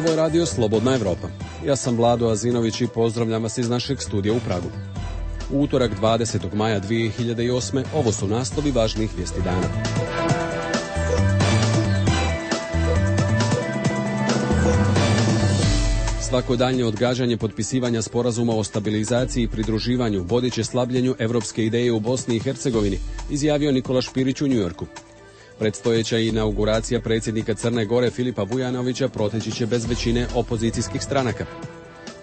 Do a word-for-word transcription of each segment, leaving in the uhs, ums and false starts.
Ovo je radio Slobodna Evropa. Ja sam Vlado Azinović i pozdravljam vas iz našeg studija u Pragu. U utorak dvadesetog maja dvije hiljade osme. ovo su naslovi važnih vijesti dana. Svako daljnje odgađanje potpisivanja sporazuma o stabilizaciji i pridruživanju vodit će slabljenju evropske ideje u Bosni i Hercegovini, izjavio Nikola Špirić u Njujorku. Predstojeća inauguracija predsjednika Crne Gore Filipa Vujanovića proteći će bez većine opozicijskih stranaka.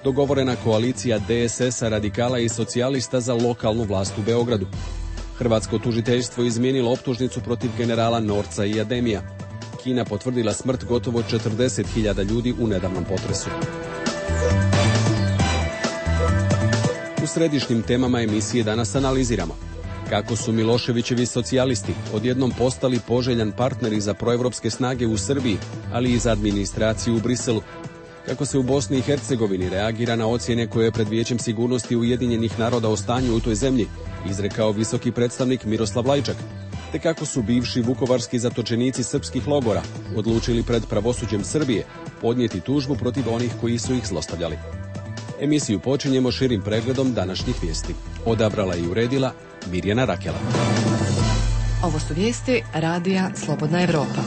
Dogovorena koalicija de es es a, radikala i socijalista za lokalnu vlast u Beogradu. Hrvatsko tužiteljstvo izmijenilo optužnicu protiv generala Norca i Ademija. Kina potvrdila smrt gotovo četrdeset hiljada ljudi u nedavnom potresu. U središnjim temama emisije danas analiziramo kako su Miloševićevi socijalisti odjednom postali poželjan partneri za proevropske snage u Srbiji, ali i za administraciju u Briselu. Kako se u Bosni i Hercegovini reagira na ocjene koje je pred Vijećem sigurnosti Ujedinjenih naroda o stanju u toj zemlji izrekao visoki predstavnik Miroslav Lajčak, te kako su bivši vukovarski zatočenici srpskih logora odlučili pred pravosuđem Srbije podnijeti tužbu protiv onih koji su ih zlostavljali. Emisiju počinjemo širim pregledom današnjih vijesti. Odabrala i uredila Mirjana Rakela. Ovo su vijesti radija Slobodna Evropa.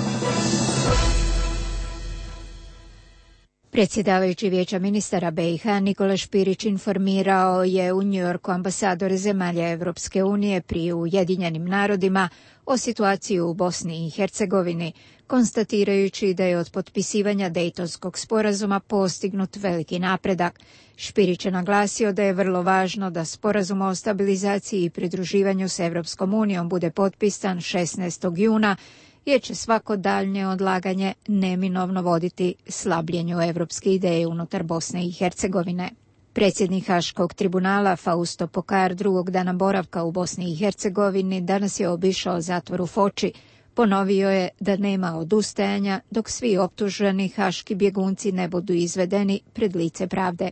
Predsjedavajući Vijeća ministara be i ha Nikola Špirić informirao je u Njujorku ambasadore zemalja Evropske unije pri Ujedinjenim narodima o situaciji u Bosni i Hercegovini, konstatirajući da je od potpisivanja Dejtonskog sporazuma postignut veliki napredak. Špirić je naglasio da je vrlo važno da sporazum o stabilizaciji i pridruživanju s Evropskom unijom bude potpisan šesnaestog juna, jer će svako daljnje odlaganje neminovno voditi slabljenju evropske ideje unutar Bosne i Hercegovine. Predsjednik Haškog tribunala Fausto Pokar drugog dana boravka u Bosni i Hercegovini danas je obišao zatvor u Foči. Ponovio je da nema odustajanja dok svi optuženi haški bjegunci ne budu izvedeni pred lice pravde.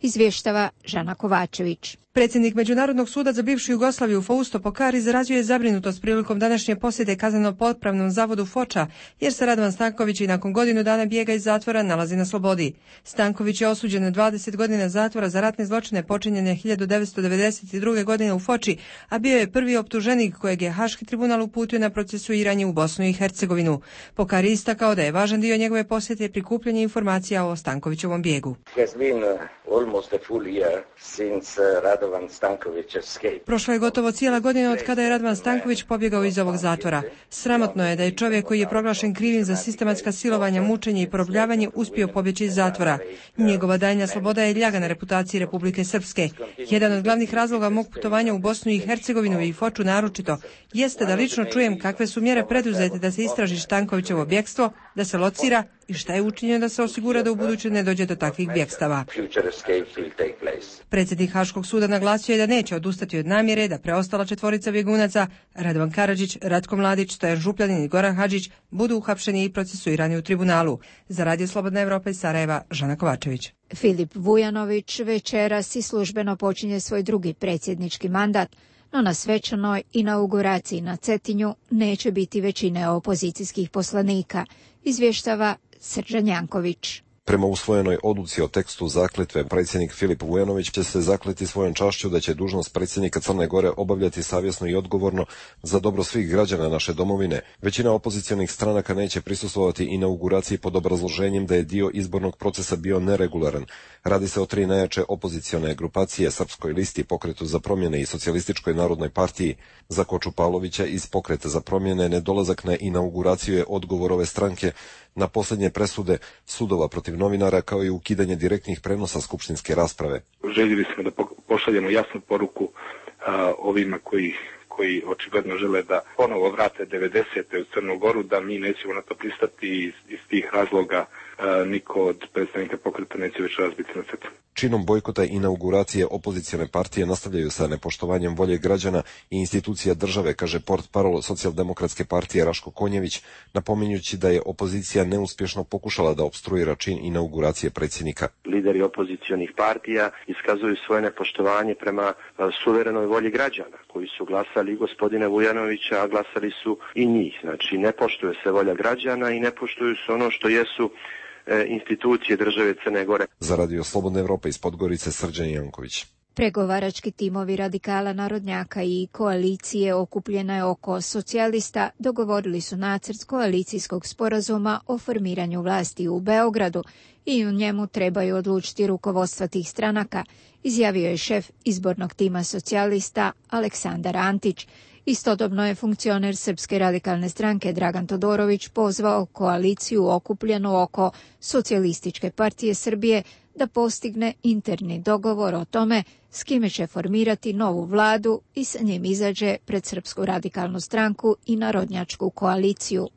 Izvještava Žana Kovačević. Predsjednik Međunarodnog suda za bivšu Jugoslaviju Fausto Pokar izrazio je zabrinutost prilikom današnje posjete kazneno-popravnom zavodu Foča, jer se Radovan Stanković i nakon godinu dana bijega iz zatvora nalazi na slobodi. Stanković je osuđen na dvadeset godina zatvora za ratne zločine počinjene hiljadu devetsto devedeset druge. godine u Foči, a bio je prvi optuženik kojeg je Haški tribunal uputio na procesuiranje u Bosnu i Hercegovinu. Pokar je istakao da je važan dio njegove posjete prikupljanje informacija o Stankovićevom bijegu. Prošla je gotovo cijela godina od kada je Radovan Stanković pobjegao iz ovog zatvora. Sramotno je da je čovjek koji je proglašen krivim za sistematska silovanja, mučenje i porobljavanje uspio pobjeći iz zatvora. Njegova daljnja sloboda je ljaga na reputaciji Republike Srpske. Jedan od glavnih razloga mog putovanja u Bosnu i Hercegovinu i Foču naročito jeste da lično čujem kakve su mjere preduzete da se istraži Stankovićevo bjekstvo, da se locira i šta je učinjeno da se osigura da u buduće ne dođe do takvih bjekstava. Predsjednik Haškog suda naglasio je da neće odustati od namjere da preostala četvorica bjegunaca, Radovan Karadžić, Ratko Mladić, Stojan Župljanin i Goran Hadžić, budu uhapšeni i procesuirani u tribunalu. Za Radio Slobodna Evropa iz Sarajeva, Žana Kovačević. Filip Vujanović večeras i službeno počinje svoj drugi predsjednički mandat, no na svečanoj inauguraciji na Cetinju neće biti većine opozicijskih poslanika, izvještava Srđan Janković. Prema usvojenoj odluci o tekstu zakletve, predsjednik Filip Vujanović će se zakleti svojom čašću da će dužnost predsjednika Crne Gore obavljati savjesno i odgovorno za dobro svih građana naše domovine. Većina opozicionih stranaka neće prisustvovati inauguraciji pod obrazloženjem da je dio izbornog procesa bio neregularan. Radi se o tri najjače opozicione grupacije, Srpskoj listi, Pokretu za promjene i Socijalističkoj narodnoj partiji. Za Koču Pavlovića iz Pokreta za promjene nedolazak na inauguraciju je odgovor ove stranke na posljednje presude sudova protiv novinara, kao i ukidanje direktnih prenosa skupštinske rasprave. Željeli smo da pošaljemo jasnu poruku a, ovima koji, koji očigledno žele da ponovo vrate devedesete u Crnu Goru, da mi nećemo na to pristati i iz, iz tih razloga a, niko od predstavnika Pokreta neće već razbiti na cetu. Činom bojkota inauguracije opozicione partije nastavljaju sa nepoštovanjem volje građana i institucija države, kaže portparol Socijaldemokratske partije Raško Konjević, napominjući da je opozicija neuspješno pokušala da opstruira čin inauguracije predsjednika. Lideri opozicionih partija iskazuju svoje nepoštovanje prema suverenoj volji građana, koji su glasali i gospodine Vujanovića, a glasali su i njih. Znači, ne poštuje se volja građana i ne poštuju se ono što jesu institucije države Crne Gore. Za Radio Slobodna Evropa iz Podgorice, Srđan Janković. Pregovarački timovi radikala narodnjaka i koalicije okupljene oko socijalista dogovorili su nacrt koalicijskog sporazuma o formiranju vlasti u Beogradu i u njemu trebaju odlučiti rukovodstva tih stranaka, izjavio je šef izbornog tima socijalista Aleksandar Antić. Istodobno je funkcioner Srpske radikalne stranke Dragan Todorović pozvao koaliciju okupljenu oko Socijalističke partije Srbije da postigne interni dogovor o tome s kime će formirati novu vladu i sa njim izađe pred Srpsku radikalnu stranku i Narodnjačku koaliciju.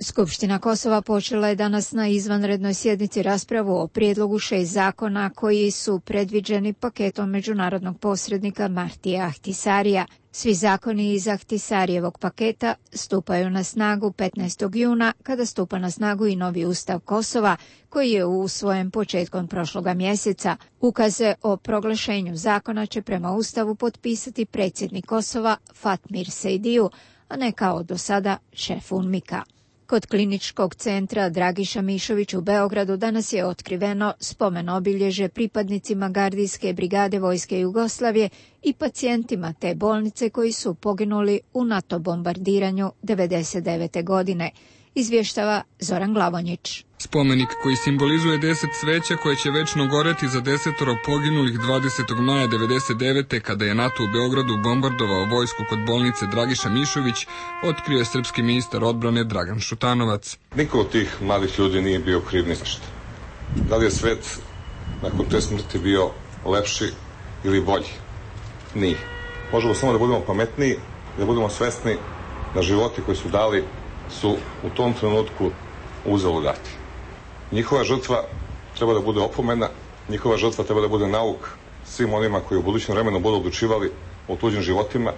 Skupština Kosova počela je danas na izvanrednoj sjednici raspravu o prijedlogu šest zakona koji su predviđeni paketom međunarodnog posrednika Martija Ahtisarija. Svi zakoni iz Ahtisarijevog paketa stupaju na snagu petnaestog juna, kada stupa na snagu i novi ustav Kosova, koji je usvojen početkom prošloga mjeseca. Ukaze o proglašenju zakona će prema ustavu potpisati predsjednik Kosova Fatmir Sejdiju, a ne kao do sada šef UNMIK-a. Kod kliničkog centra Dragiša Mišović u Beogradu danas je otkriveno spomen obilježje pripadnicima gardijske brigade Vojske Jugoslavije i pacijentima te bolnice koji su poginuli u NATO bombardiranju devedeset devete. godine, izvještava Zoran Glavonjić. Spomenik koji simbolizuje deset sveća koje će večno goreti za desetoro poginulih dvadesetog maja devedeset devete. kada je NATO u Beogradu bombardovao vojsku kod bolnice Dragiša Mišović, otkrio je srpski ministar odbrane Dragan Šutanovac. Niko od tih mladih ljudi nije bio kriv ni za šta. Da li je svet nakon te smrti bio lepši ili bolji? Nije. Možemo samo da budemo pametniji, da budemo svesni da životi koji su dali su u tom trenutku uzelo dati. Njihova žrtva treba da bude opomena, njihova žrtva treba da bude nauk svim onima koji u budućem vremenu budu odlučivali o tuđim životima,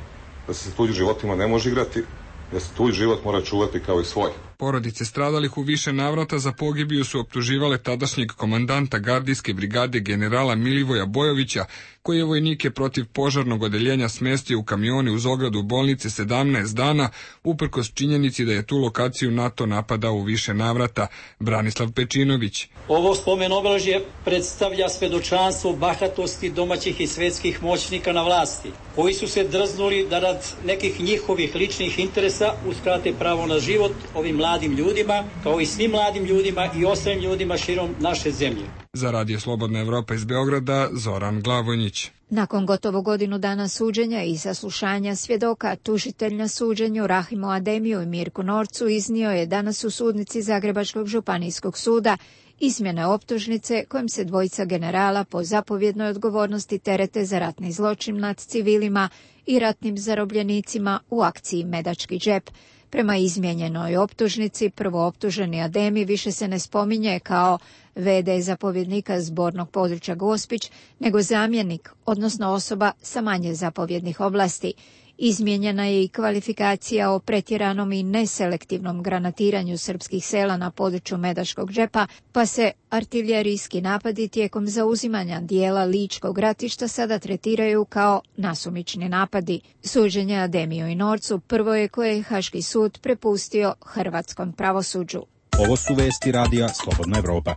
da se tuđim životima ne može igrati, da se tuđi život mora čuvati kao i svoj. Porodice stradalih u više navrata za pogibiju su optuživale tadašnjeg komandanta gardijske brigade generala Milivoja Bojovića, koji je vojnike protiv požarnog odeljenja smjestio u kamione uz ogradu bolnice sedamnaest dana, uprkos činjenici da je tu lokaciju NATO napadao u više navrata. Branislav Pečinović. Ovo spomen obeležje predstavlja svedočanstvo bahatosti domaćih i svetskih moćnika na vlasti, koji su se drznuli da rad nekih njihovih ličnih interesa uskrate pravo na život ovim mladim ljudima, kao i svim mladim ljudima i ostalim ljudima širom naše zemlje. Za Radio Slobodna Evropa iz Beograda, Zoran Glavonjić. Nakon gotovo godinu dana suđenja i saslušanja svjedoka, tužitelj na suđenju Rahimu Ademiju i Mirku Norcu iznio je danas u sudnici Zagrebačkog županijskog suda izmjene optužnice kojim se dvojica generala po zapovjednoj odgovornosti terete za ratni zločin nad civilima i ratnim zarobljenicima u akciji Medački džep. Prema izmijenjenoj optužnici, prvooptuženi Ademi više se ne spominje kao ve de zapovjednika zbornog područja Gospić, nego zamjenik, odnosno osoba sa manje zapovjednih oblasti. Izmijenjena je i kvalifikacija o pretjeranom i neselektivnom granatiranju srpskih sela na području Medačkog džepa, pa se artiljerijski napadi tijekom zauzimanja dijela Ličkog ratišta sada tretiraju kao nasumični napadi. Suđenje Ademiju i Norcu prvo je koje je Haški sud prepustio hrvatskom pravosuđu. Ovo su vesti radija Slobodna Evropa.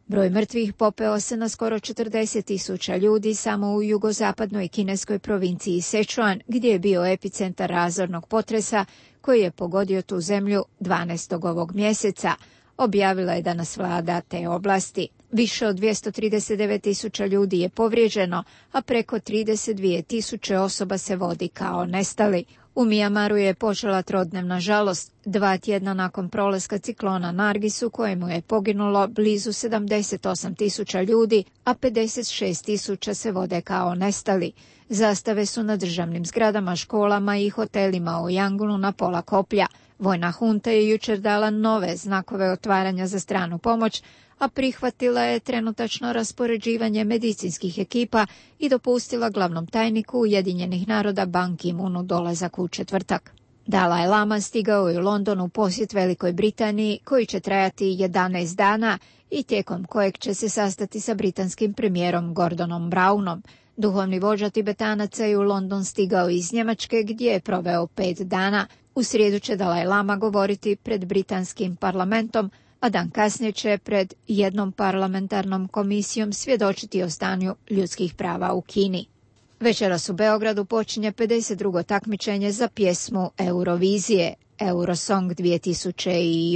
Broj mrtvih popeo se na skoro četrdeset tisuća ljudi samo u jugozapadnoj kineskoj provinciji Sichuan, gdje je bio epicentar razornog potresa koji je pogodio tu zemlju dvanaestog ovog mjeseca, objavila je danas vlada te oblasti. Više od dvjesto trideset devet tisuća ljudi je povrijeđeno, a preko trideset dvije tisuće osoba se vodi kao nestali. U Mijamaru je počela trodnevna žalost, dva tjedna nakon prolaska ciklona Nargis u kojemu je poginulo blizu sedamdeset osam tisuća ljudi, a pedeset šest tisuća se vode kao nestali. Zastave su na državnim zgradama, školama i hotelima u Yangunu na pola koplja. Vojna hunta je jučer dala nove znakove otvaranja za stranu pomoć, a prihvatila je trenutačno raspoređivanje medicinskih ekipa i dopustila glavnom tajniku Ujedinjenih naroda Ban Ki-moonu dolazak u četvrtak. Dalaj Lama stigao je u London u posjet Velikoj Britaniji, koji će trajati jedanaest dana i tijekom kojeg će se sastati sa britanskim premijerom Gordonom Brownom. Duhovni vođa Tibetanaca je u London stigao iz Njemačke, gdje je proveo pet dana. U srijedu će Dalaj Lama govoriti pred britanskim parlamentom, a dan kasnije će pred jednom parlamentarnom komisijom svjedočiti o stanju ljudskih prava u Kini. Večeras u Beogradu počinje pedeset drugo takmičenje za pjesmu Eurovizije, Eurosong dvije tisuće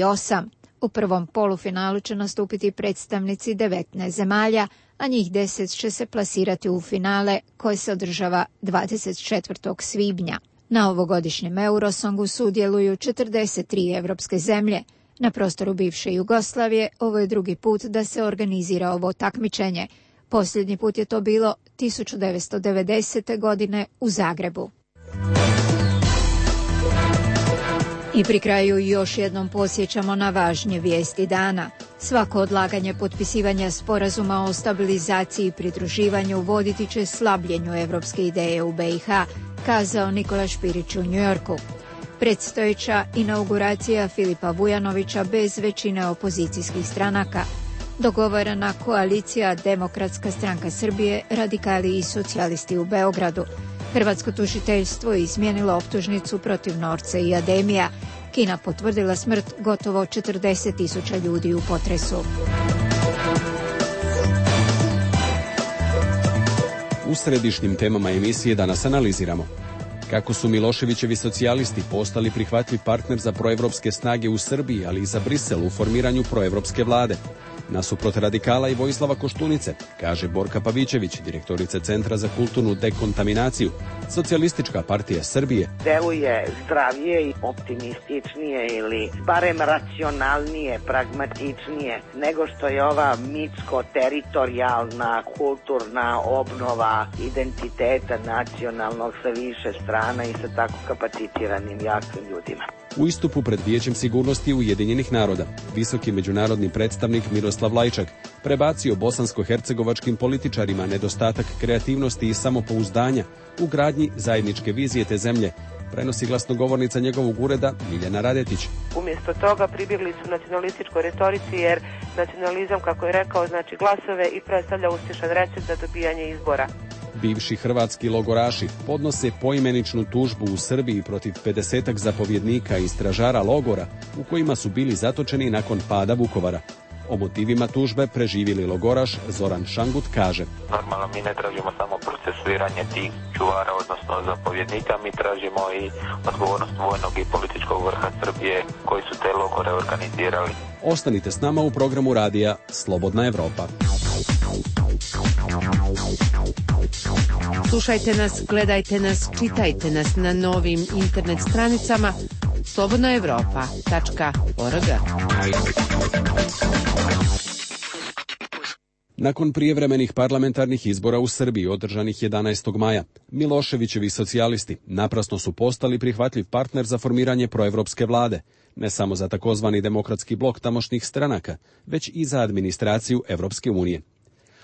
osam. U prvom polufinalu će nastupiti predstavnici devetnaest zemalja, a njih deset će se plasirati u finale koje se održava dvadeset četvrtog svibnja. Na ovogodišnjem Eurosongu sudjeluju četrdeset tri evropske zemlje. Na prostoru bivše Jugoslavije ovo je drugi put da se organizira ovo takmičenje. Posljednji put je to bilo tisuću devetsto devedesete. godine u Zagrebu. I pri kraju još jednom podsjećamo na važnje vijesti dana. Svako odlaganje potpisivanja sporazuma o stabilizaciji i pridruživanju voditi će slabljenju evropske ideje u be i ha, kazao Nikola Špirić u Njujorku. Predstojeća inauguracija Filipa Vujanovića bez većine opozicijskih stranaka. Dogovorena koalicija Demokratska stranka Srbije, radikali i socijalisti u Beogradu. Hrvatsko tužiteljstvo je izmijenilo optužnicu protiv Norce i Ademija. Kina potvrdila smrt gotovo četrdeset tisuća ljudi u potresu. U središnjim temama emisije danas analiziramo kako su Miloševićevi socijalisti postali prihvatljiv partner za proevropske snage u Srbiji, ali i za Brisel u formiranju proevropske vlade. Nasuprot radikala i Vojislava Koštunice, kaže Borka Pavićević, direktorica Centra za kulturnu dekontaminaciju, Socijalistička partija Srbije deluje zdravije i optimističnije ili barem racionalnije, pragmatičnije nego što je ova mitsko-teritorijalna kulturna obnova identiteta nacionalnog sa više strana i sa tako kapacitiranim jakim ljudima. U istupu pred Vijećem sigurnosti Ujedinjenih naroda, visoki međunarodni predstavnik Miroslav Lajčak prebacio bosansko-hercegovačkim političarima nedostatak kreativnosti i samopouzdanja u gradnji zajedničke vizije te zemlje, prenosi glasnogovornica njegovog ureda Miljana Radetić. Umjesto toga pribjegli su nacionalističkoj retorici jer nacionalizam, kako je rekao, znači glasove i predstavlja uspješan recept za dobijanje izbora. Bivši hrvatski logoraši podnose poimeničnu tužbu u Srbiji protiv pedesetak zapovjednika i stražara logora u kojima su bili zatočeni nakon pada Vukovara. O motivima tužbe preživjeli logoraš Zoran Šangut kaže: Normalno mi ne tražimo samo procesuiranje tih čuvara, odnosno zapovjednika, mi tražimo i odgovornost vojnog i političkog vrha Srbije koji su te logore organizirali. Ostanite s nama u programu radija Slobodna Evropa. Slušajte nas, gledajte nas, čitajte nas na novim internet stranicama slobodna evropa tačka org. Nakon prijevremenih parlamentarnih izbora u Srbiji održanih jedanaestog maja, Miloševićevi socijalisti naprasno su postali prihvatljiv partner za formiranje proevropske vlade, ne samo za takozvani demokratski blok tamošnjih stranaka, već i za administraciju Evropske unije.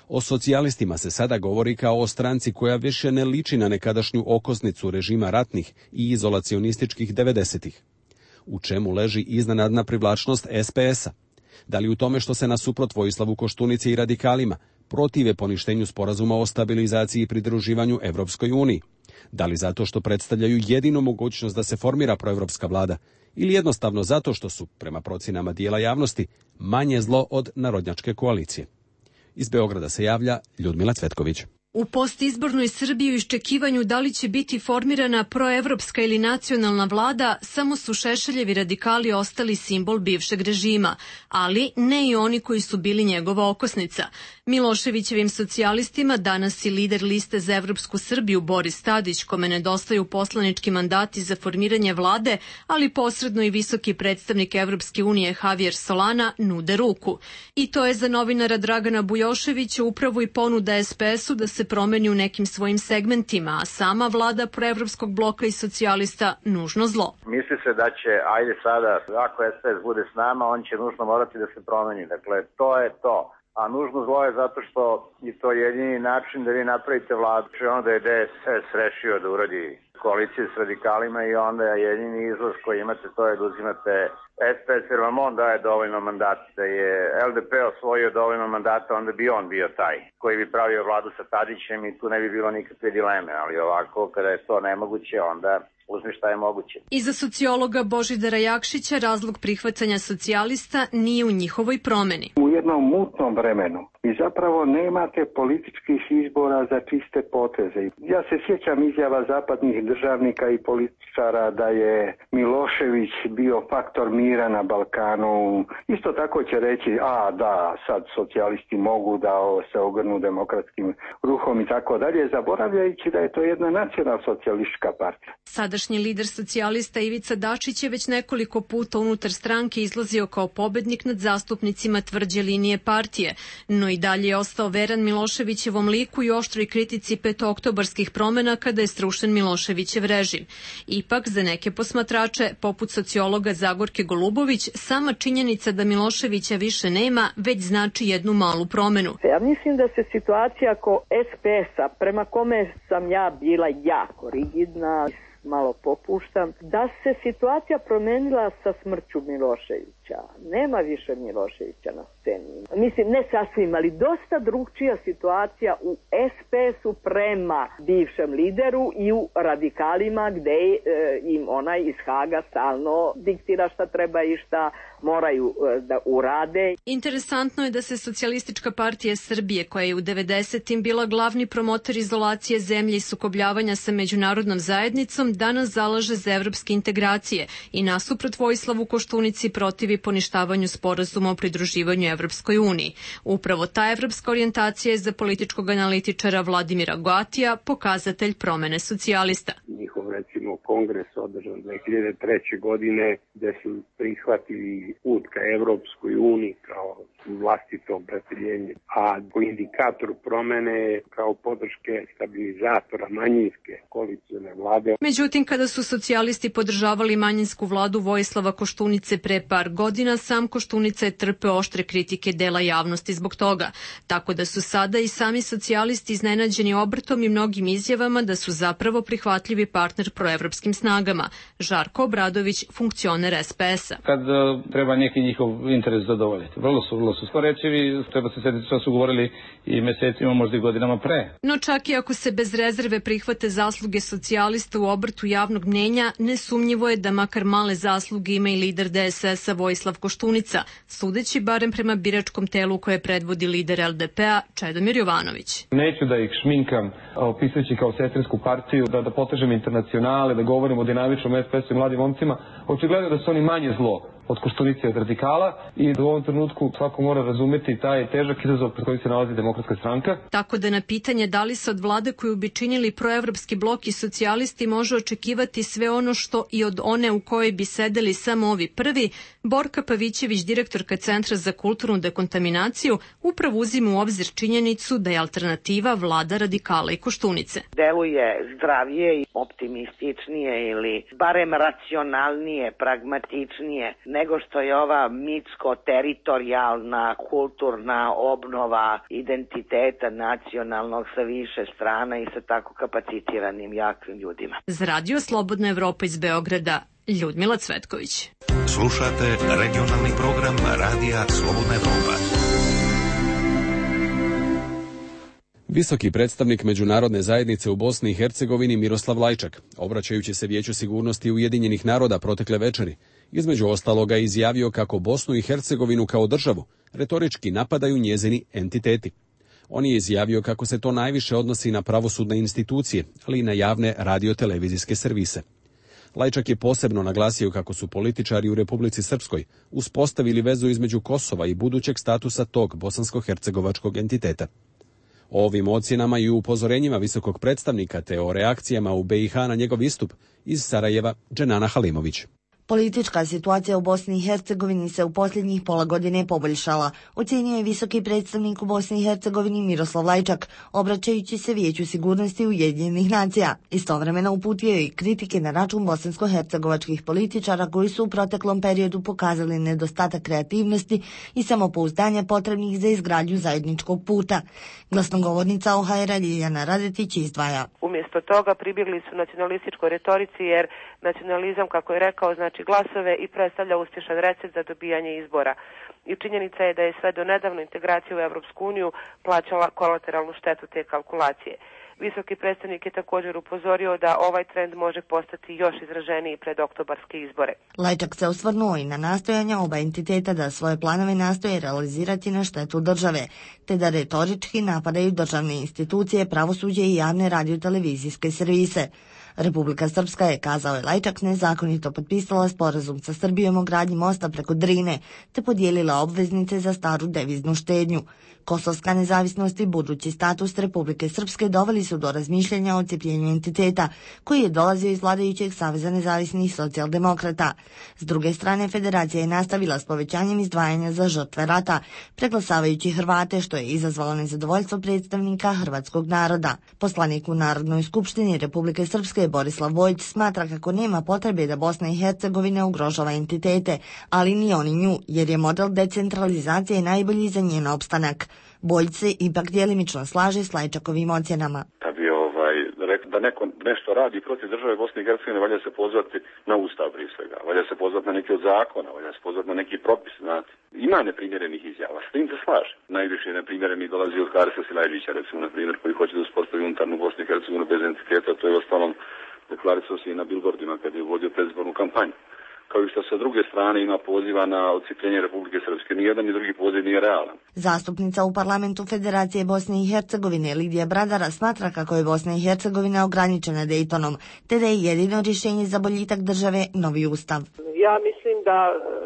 O socijalistima se sada govori kao o stranci koja više ne liči na nekadašnju okosnicu režima ratnih i izolacionističkih devedesetih. U čemu leži iznenadna privlačnost es pe es a? Da li u tome što se nasuprot Vojislavu Koštunici i radikalima protive poništenju sporazuma o stabilizaciji i pridruživanju Evropskoj uniji? Da li zato što predstavljaju jedinu mogućnost da se formira proevropska vlada? Ili jednostavno zato što su, prema procjenama dijela javnosti, manje zlo od narodnjačke koalicije? Iz Beograda se javlja Ljudmila Cvetković. U postizbornoj Srbiji u iščekivanju da li će biti formirana proevropska ili nacionalna vlada, samo su Šešeljevi radikali ostali simbol bivšeg režima, ali ne i oni koji su bili njegova okosnica. Miloševićevim socijalistima danas i lider liste za Evropsku Srbiju Boris Tadić, kome nedostaju poslanički mandati za formiranje vlade, ali posredno i visoki predstavnik Evropske unije Javier Solana nude ruku. I to je za novinara Dragana Bujoševića upravo i ponuda es pe es u da se promeni u nekim svojim segmentima, a sama vlada proevropskog bloka i socijalista nužno zlo. Misli se da će, ajde sada, ako es pe es bude s nama, on će nužno morati da se promeni. Dakle, to je to. A nužno zlo je zato što je to jedini način da vi napravite vladu. Onda je de es es rešio da uradi koaliciju s radikalima i onda je jedini izlaz koji imate, to je da uzimate es pe es, jer vam on daje dovoljno mandata. Da je el de pe osvojio dovoljno mandata, onda bi on bio taj koji bi pravio vladu sa Tadićem i tu ne bi bilo nikakve dileme. Ali ovako, kada je to nemoguće, onda uzmi šta je moguće. I za sociologa Božidara Jakšića razlog prihvatanja socijalista nije u njihovoj promeni. U jednom mutnom vremenu i zapravo nemate političkih izbora za čiste poteze. Ja se sjećam izjava zapadnih državnika i političara da je Milošević bio faktor mira na Balkanu. Isto tako će reći, a da, sad socijalisti mogu da se ogrnu demokratskim ruhom i tako dalje, zaboravljajući da je to jedna nacionalsocijalistička partija. Sadašnji lider socijalista Ivica Dačić je već nekoliko puta unutar stranke izlazio kao pobednik nad zastupnicima tvrđe linije partije, no i dalje je ostao veran Miloševićevom liku i oštroj kritici petooktobarskih promena kada je srušen Miloševićev režim. Ipak, za neke posmatrače, poput sociologa Zagorke Golubović, sama činjenica da Miloševića više nema već znači jednu malu promenu. Ja mislim da se situacija oko es pe es-a, prema kome sam ja bila jako rigidna, malo popuštam, da se situacija promenila sa smrću Miloševića. Nema više Miloševića na sceni. Mislim, ne sasvim, ali dosta drugčija situacija u es pe es-u prema bivšem lideru i u radikalima gde e, im onaj iz Haga stalno diktira šta treba i šta moraju e, da urade. Interesantno je da se Socijalistička partija Srbije, koja je u devedesetim bila glavni promotor izolacije zemlje i sukobljavanja sa međunarodnom zajednicom, danas zalaže za evropske integracije i nasuprot Vojislavu Koštunici protivi poništavanju sporazuma o pridruživanju Evropskoj uniji. Upravo ta evropska orijentacija je za političkog analitičara Vladimira Goatija pokazatelj promene socijalista. Njihov, recimo, kongres održan dve hiljade treće. godine gde su prihvatili put ka Evropskoj uniji kao vlastito opredeljenje, a po indikatoru promene kao podrške stabilizatora manjinske koalicione vlade. Međutim, kada su socijalisti podržavali manjinsku vladu Vojislava Koštunice pre par godina, sam Koštunica je trpeo oštre kritike dela javnosti zbog toga. Tako da su sada i sami socijalisti iznenađeni obrtom i mnogim izjavama da su zapravo prihvatljivi partner proevropskim snagama. Žarko Obradović, funkcioner es pe es-a. Kad treba neki njihov interes zadovoljiti. Vrlo su, vrlo su skorečivi, treba se sjetiti što su govorili i mesecima, možda i godinama pre. No čak i ako se bez rezerve prihvate zasluge socijalista u obrtu javnog mnjenja, nesumnjivo je da makar male zasluge ima i lider de es es-a Vojislav Koštunica, sudeći barem prema biračkom telu koje predvodi lider el de pe-a Čedomir Jovanović. Neću da ih šminkam opisujući kao sestrinsku partiju, da, da potežem internacionale, da govorim o dinamičnom es pe es-u i mladim momcima. Očigledno da su oni manje zlo od Koštunice i od radikala i da u ovom trenutku svako mora razumeti taj težak izazov pred kojim se nalazi Demokratska stranka. Tako da na pitanje da li se od vlade koju bi činili proevropski blok i socijalisti može očekivati sve ono što i od one u kojoj bi sedeli samo ovi prvi, Borka Pavićević, direktorka Centra za kulturnu dekontaminaciju, upravo uzima u obzir činjenicu da je alternativa vlada radikala i Koštunice. Deluje zdravije i optimističnije ili barem racionalnije, pragmatičnije nego što je ova mitsko-teritorijalna kulturna obnova identiteta nacionalnog sa više strana i sa tako kapacitiranim jakim ljudima. Za Radio Slobodna Evropa iz Beograda, Ljudmila Cvetković. Slušate regionalni program Radija Slobodna Evropa. Visoki predstavnik međunarodne zajednice u Bosni i Hercegovini Miroslav Lajčak, obraćajući se Vijeću sigurnosti Ujedinjenih naroda protekle večeri, između ostaloga izjavio kako Bosnu i Hercegovinu kao državu retorički napadaju njezini entiteti. On je izjavio kako se to najviše odnosi na pravosudne institucije, ali i na javne radiotelevizijske servise. Lajčak je posebno naglasio kako su političari u Republici Srpskoj uspostavili vezu između Kosova i budućeg statusa tog bosansko-hercegovačkog entiteta. O ovim ocjenama i upozorenjima visokog predstavnika te o reakcijama u be i ha na njegov istup iz Sarajeva Dženana Halimović. Politička situacija u Bosni i Hercegovini se u posljednjih pola godine poboljšala, ocjenio je visoki predstavnik u Bosni i Hercegovini Miroslav Lajčak, obraćajući se Vijeću sigurnosti Ujedinjenih nacija. Istovremeno uputio je i kritike na račun bosansko-hercegovačkih političara koji su u proteklom periodu pokazali nedostatak kreativnosti i samopouzdanja potrebnih za izgradnju zajedničkog puta. Glasnogovornica o ha er Ljiljana Radetić izdvaja. Umjesto toga pribjegli su nacionalističkoj retorici jer nacionalizam, kako je rekao, znači glasove i predstavlja uspješan recept za dobijanje izbora. I činjenica je da je sve do nedavno integracija u Evropsku uniju plaćala kolateralnu štetu te kalkulacije. Visoki predstavnik je također upozorio da ovaj trend može postati još izraženiji pred oktobarske izbore. Lajčak se osvrnuo i na nastojanja oba entiteta da svoje planove nastoje realizirati na štetu države, te da retorički napadaju državne institucije, pravosuđe i javne radiotelevizijske servise. Republika Srpska je, kazao je Lajčak, nezakonito potpisala sporazum sa Srbijom o gradnji mosta preko Drine, te podijelila obveznice za staru deviznu štednju. Kosovska nezavisnost i budući status Republike Srpske doveli su do razmišljanja o odcepljenju entiteta, koji je dolazio iz vladajućeg Saveza nezavisnih socijaldemokrata. S druge strane, federacija je nastavila s povećanjem izdvajanja za žrtve rata, preglasavajući Hrvate, što je izazvalo nezadovoljstvo predstavnika hrvatskog naroda. Poslanik u Narodnoj skupštini Republike Srpske Borislav Bojić smatra kako nema potrebe da Bosna i Hercegovina ugrožava entitete, ali ni oni nju, jer je model decentralizacije najbolji za njen opstanak. Bojić se ipak djelimično slaže s Lajčakovim ocjenama. Da bi ovaj, rekao da neko nešto radi protiv države Bosne i Hercegovine, valja se pozvati na ustav prije svega, valja se pozvati na neki od zakona, valja se pozvati na neki propis, znate. Ima neprimjerenih izjava, s tim se slaže. Najviše neprimjerenih dolazi od Harisa Silajđića, recimo, na primjer, koji hoće da uspostavi unutarnju Bosnu i Hercegovinu bez entiteta, to je ostalom deklarisao se i na billboardima kad je vodio predizbornu kampanju. Kao i što sa druge strane ima poziva na odcijepljenje Republike Srpske. Nijedan ni drugi poziv nije realan. Zastupnica u parlamentu Federacije Bosne i Hercegovine Lidija Bradara smatra kako je Bosna i Hercegovina ograničena Dejtonom, te da je jedino rješenje za boljitak države novi ustav. Ja mislim da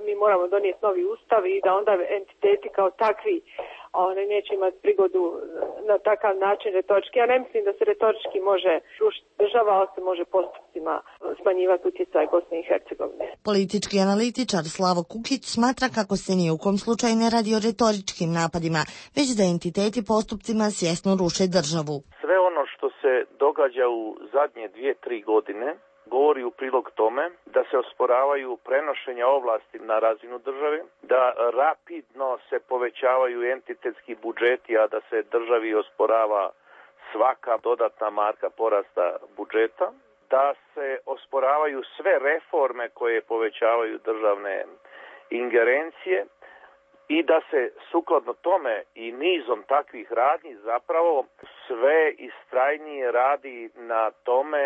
mi moramo donijeti novi ustav i da onda entiteti kao takvi oni neće imati prigodu na takav način retorički. Ja ne mislim da se retorički može rušiti država, ali se može postupcima smanjivati utjecaj Bosne i Hercegovine. Politički analitičar Slavo Kukić smatra kako se ni u kom slučaju ne radi o retoričkim napadima, već da entiteti postupcima svjesno ruše državu. Sve ono što se događa u zadnje dvije, tri godine govori u prilog tome da se osporavaju prenošenja ovlasti na razinu države, da rapidno se povećavaju entitetski budžeti, a da se državi osporava svaka dodatna marka porasta budžeta, da se osporavaju sve reforme koje povećavaju državne ingerencije i da se sukladno tome i nizom takvih radnji zapravo sve istrajnije radi na tome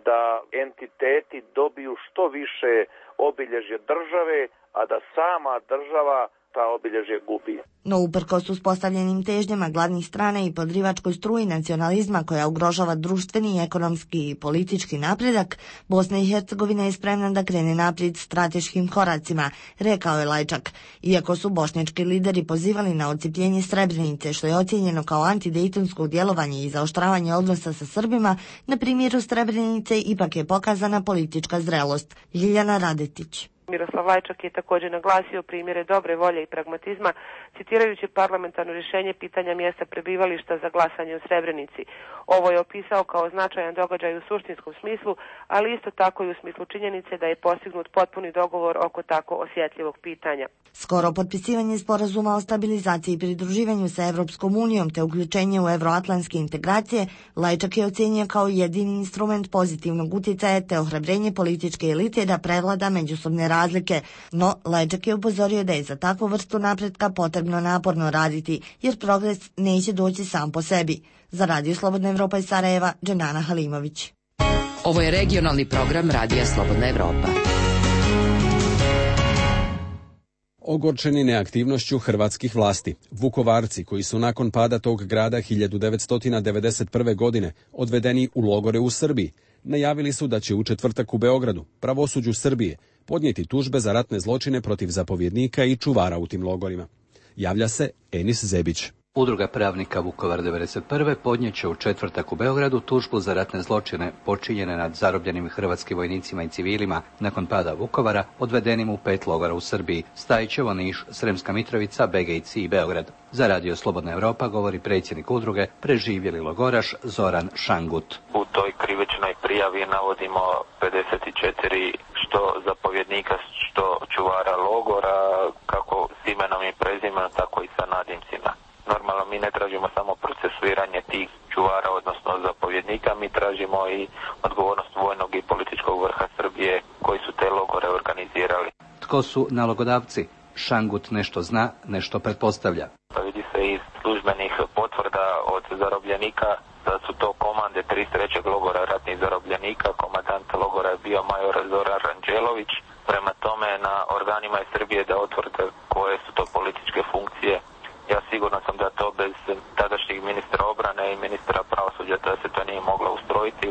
da entiteti dobiju što više obilježje države, a da sama država ta obilježje gubi. No uprkos uspostavljenim težnjama glavnih strana i podrivačkoj struji nacionalizma koja ugrožava društveni, ekonomski i politički napredak, Bosna i Hercegovina je spremna da krene naprijed strateškim koracima, rekao je Lajčak. Iako su bošnjački lideri pozivali na odcijepljenje Srebrenice, što je ocijenjeno kao antidejtonsko djelovanje i zaoštravanje odnosa sa Srbima, na primjeru Srebrenice ipak je pokazana politička zrelost. Ljiljana Radetić. Miroslav Lajčak je također naglasio primjere dobre volje i pragmatizma, citirajući parlamentarno rješenje pitanja mjesta prebivališta za glasanje u Srebrenici. Ovo je opisao kao značajan događaj u suštinskom smislu, ali isto tako i u smislu činjenice da je postignut potpuni dogovor oko tako osjetljivog pitanja. Skoro potpisivanje sporazuma o stabilizaciji i pridruživanju sa Evropskom unijom te uključenje u euroatlantske integracije, Lajčak je ocenio kao jedini instrument pozitivnog utjecaja te ohrabrenje političke elite da prevlada međusobne razlike, no Lajčak je upozorio da je za takvu vrstu napretka potrebno naporno raditi, jer progres neće doći sam po sebi. Za Radio Slobodna Evropa iz Sarajeva, Dženana Halimović. Ovo je regionalni program Radija Slobodna Evropa. Ogorčeni neaktivnošću hrvatskih vlasti, Vukovarci koji su nakon pada tog grada hiljadu devetsto devedeset prve. godine odvedeni u logore u Srbiji, najavili su da će u četvrtak u Beogradu, pravosuđu Srbije, podnijeti tužbe za ratne zločine protiv zapovjednika i čuvara u tim logorima. Javlja se Enis Zebić. Udruga pravnika Vukovar devedeset prve podnijeće u četvrtak u Beogradu tužbu za ratne zločine počinjene nad zarobljenim hrvatskim vojnicima i civilima nakon pada Vukovara, odvedenim u pet logora u Srbiji: Stajićevo, Niš, Sremska Mitrovica, Begejci i Beograd. Za Radio Slobodna Evropa govori predsjednik udruge, preživjeli logoraš Zoran Šangut. U toj krivičnoj prijavi navodimo pedeset četiri što zapovjednika, što čuvara logora, kako s imenom i prezimenom, tako i sa nadimcima. Normalno mi ne tražimo samo procesuiranje tih čuvara, odnosno zapovjednika, mi tražimo i odgovornost vojnog i političkog vrha Srbije koji su te logore organizirali. Tko su nalogodavci? Šangut nešto zna, nešto pretpostavlja. Pa vidi se iz službenih potvrda od zarobljenika da su to komandni komande trideset trećeg logora ratnih zarobljenika. Komandant logora je bio major Zoran Ranđelović. Prema tome na organima je Srbije da otvrde koje su to političke funkcije. Ja siguran sam da to bez tadašnjeg ministra obrane i ministra pravosuđa da se to nije moglo ustrojiti,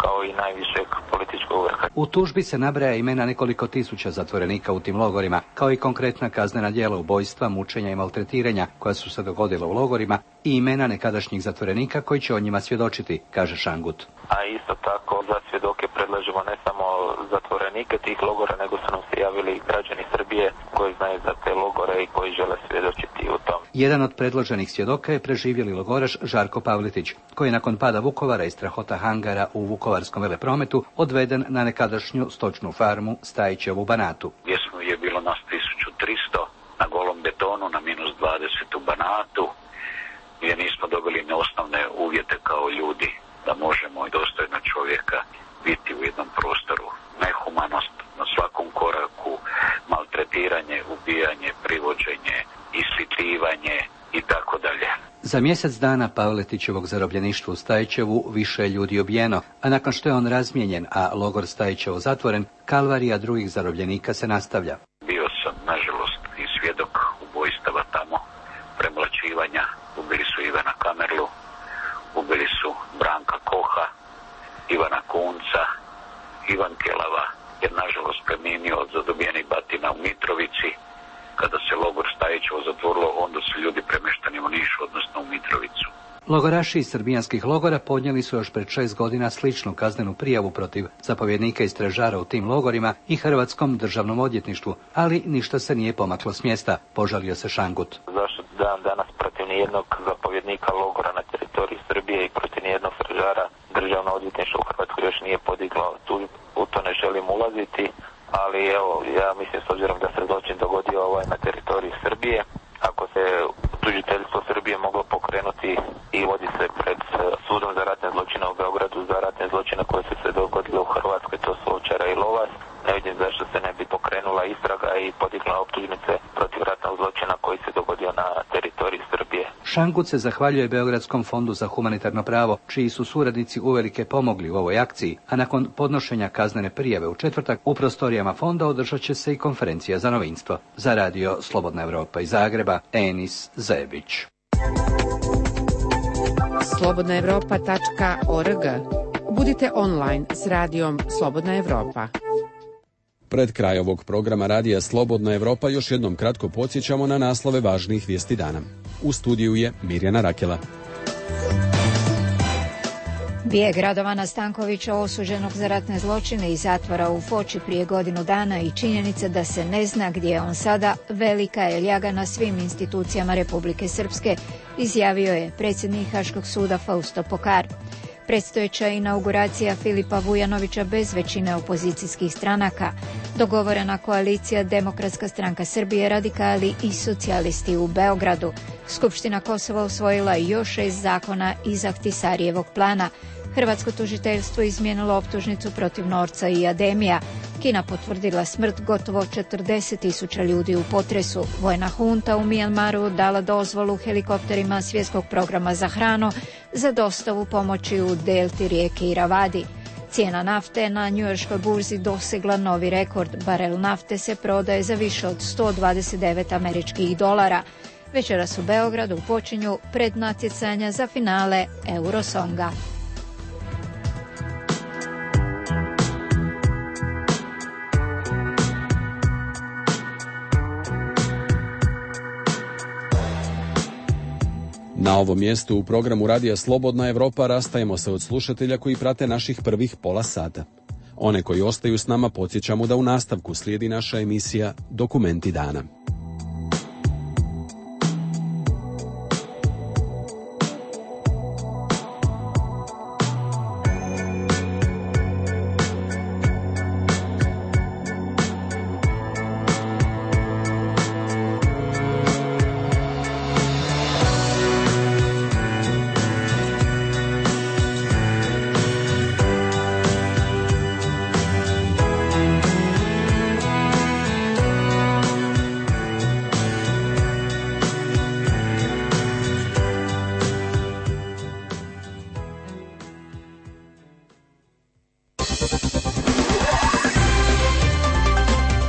kao i najvišeg političkog vrha. U tužbi se nabraja imena nekoliko tisuća zatvorenika u tim logorima, kao i konkretna kaznena djela ubojstva, mučenja i maltretiranja koja su se dogodila u logorima i imena nekadašnjih zatvorenika koji će o njima svjedočiti, kaže Šangut. A isto tako za svjedoke predlažemo ne samo zatvorenike tih logora, nego su nam se javili i građani Srbije koji znaju za te logore i koji žele svjedočiti u tom. Jedan od predloženih svjedoka je preživjeli logoraš Žarko Pavletić, koji je nakon pada Vukovara i strahota hangara u vukovarskom veleprometu odveden na nekadašnju stočnu farmu Stajićevu u Banatu. Gdje je bilo nas tisuću tristo na golom betonu na minus dvadeset u Banatu, gdje nismo dobili ne osnovne uvjete kao ljudi da možemo i dostojno čovjeka biti u jednom prostoru. Nehumanost na svakom koraku, maltretiranje, ubijanje, privođenje, islitivanje i tako dalje. Za mjesec dana Pavletićevog zarobljeništva u Stajićevu više je ljudi ubijeno, a nakon što je on razmijenjen, a logor Stajićevo zatvoren, kalvarija drugih zarobljenika se nastavlja. Bio sam, nažalost, i svjedok ubojstava tamo, premlaćivanja. Ubili su Ivana Kamerlu, ubili su Branka Koha, Ivana Kunca, Ivan Kelava, jer nažalost preminio od zadobijenih batina u Mitrovici. Kada se logor Stajićevo zatvorilo, onda su ljudi premještani u Niš, odnosno u Mitrovicu. Logoraši iz srbijanskih logora podnijeli su još pred šest godina sličnu kaznenu prijavu protiv zapovjednika i stražara u tim logorima i Hrvatskom državnom odvjetništvu, ali ništa se nije pomaklo s mjesta, požalio se Šangut. Zašto dan danas protiv nijednog zapovjednika logora na teritoriji Srbije i protiv nijednog stražara državno odvjetništvo u Hrvatskoj još nije podiglo, tu, u to ne želim ulaziti, ali evo, ja mislim s obzirom da se zločin dogodio ovaj na teritoriji Srbije, ako se tužiteljstvo Srbije moglo pokrenuti i vodi se pred sudom za ratne zločine u Beogradu za ratne zločine koje su se dogodile u Hrvatskoj, to su Ovčara i Lovas, ne vidim zašto se ne bi pokrenula istraga i podigla optužnice protiv ratnog zločina koji se dogodio na teritoriji Srbije. Šangut se zahvaljuje Beogradskom fondu za humanitarno pravo, čiji su suradnici uvelike pomogli u ovoj akciji, a nakon podnošenja kaznene prijave u četvrtak u prostorijama fonda održat će se i konferencija za novinstvo. Za radio Slobodna Evropa iz Zagreba, Enis Zebić. slobodna evropa tačka org. Budite online s radijom Slobodna Evropa. Pred kraj ovog programa radija Slobodna Evropa još jednom kratko podsjećamo na naslove važnijih vijesti dana. U studiju je Mirjana Rakela. Bijeg Radovana Stankovića, osuđenog za ratne zločine iz zatvora u Foči prije godinu dana, i činjenica da se ne zna gdje je on sada, velika je ljaga na svim institucijama Republike Srpske, izjavio je predsjednik Haškog suda Fausto Pokar. Predstojeća inauguracija Filipa Vujanovića bez većine opozicijskih stranaka, dogovorena koalicija Demokratska stranka Srbije, radikali i socijalisti u Beogradu. Skupština Kosova usvojila još šest zakona iz Ahtisarijevog plana. Hrvatsko tužiteljstvo izmijenilo optužnicu protiv Norca i Ademija. Kina potvrdila smrt gotovo četrdeset tisuća ljudi u potresu. Vojna hunta u Mijanmaru dala dozvolu helikopterima Svjetskog programa za hranu za dostavu pomoći u delti rijeke Iravadi. Cijena nafte na njujorškoj burzi dosegla novi rekord. Barel nafte se prodaje za više od sto dvadeset devet američkih dolara. Večeras u Beogradu počinju prednatjecanja za finale Eurosonga. Na ovom mjestu u programu Radija Slobodna Evropa rastajemo se od slušatelja koji prate naših prvih pola sata. One koji ostaju s nama podsjećamo da u nastavku slijedi naša emisija Dokumenti dana.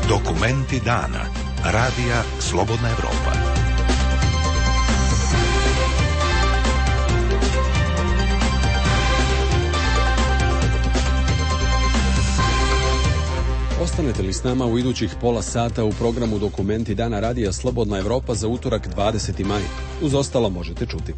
Dokumenti dana. Radija Slobodna Evropa. Ostanete li s nama u idućih pola sata u programu Dokumenti dana Radija Slobodna Evropa za utorak dvadeseti maj. Uz ostalo možete čuti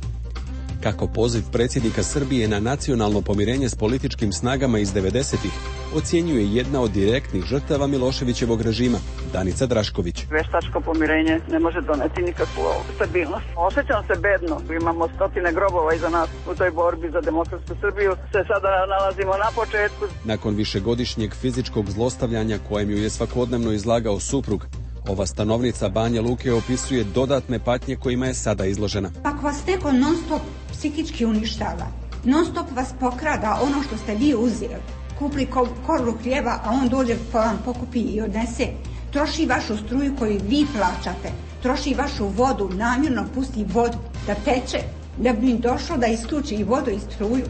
kako poziv predsjednika Srbije na nacionalno pomirenje s političkim snagama iz devedesetih ocjenjuje jedna od direktnih žrtava Miloševićevog režima, Danica Drašković. Veštačko pomirenje ne može doneti nikakvu stabilnost. Osjećam se bedno. Imamo stotine grobova iza nas u toj borbi za demokratsku Srbiju. Se sada nalazimo na početku. Nakon višegodišnjeg fizičkog zlostavljanja kojem ju je svakodnevno izlagao suprug, ova stanovnica Banja Luke opisuje dodatne patnje kojima je sada izložena. Ako vas neko non stop psihički uništava, non stop vas pokrada ono što ste vi uzeli, kupli korlu hljeba, a on dođe pa vam pokupi i odnese, troši vašu struju koju vi plaćate, troši vašu vodu, namjerno pusti vodu da teče, da bi mi došlo da isključi i vodu i struju,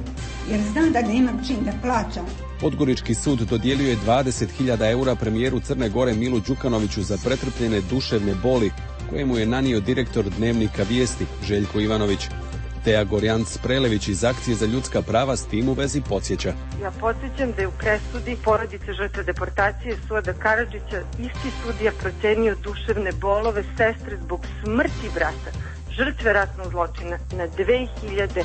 jer znam da nemam čim da plaćam. Podgorički sud dodijelio je dvadeset hiljada eura premijeru Crne Gore Milu Đukanoviću za pretrpljene duševne boli koje mu je nanio direktor Dnevnika Vijesti Željko Ivanović. Teja Gorjanc-Prelević iz Akcije za ljudska prava s tim u vezi podsjeća. Ja podsjećam da je u presudi porodice žrtve deportacije Suada Karadžića isti sudija procenio duševne bolove sestre zbog smrti brata, žrtve ratnog zločina, na dve hiljade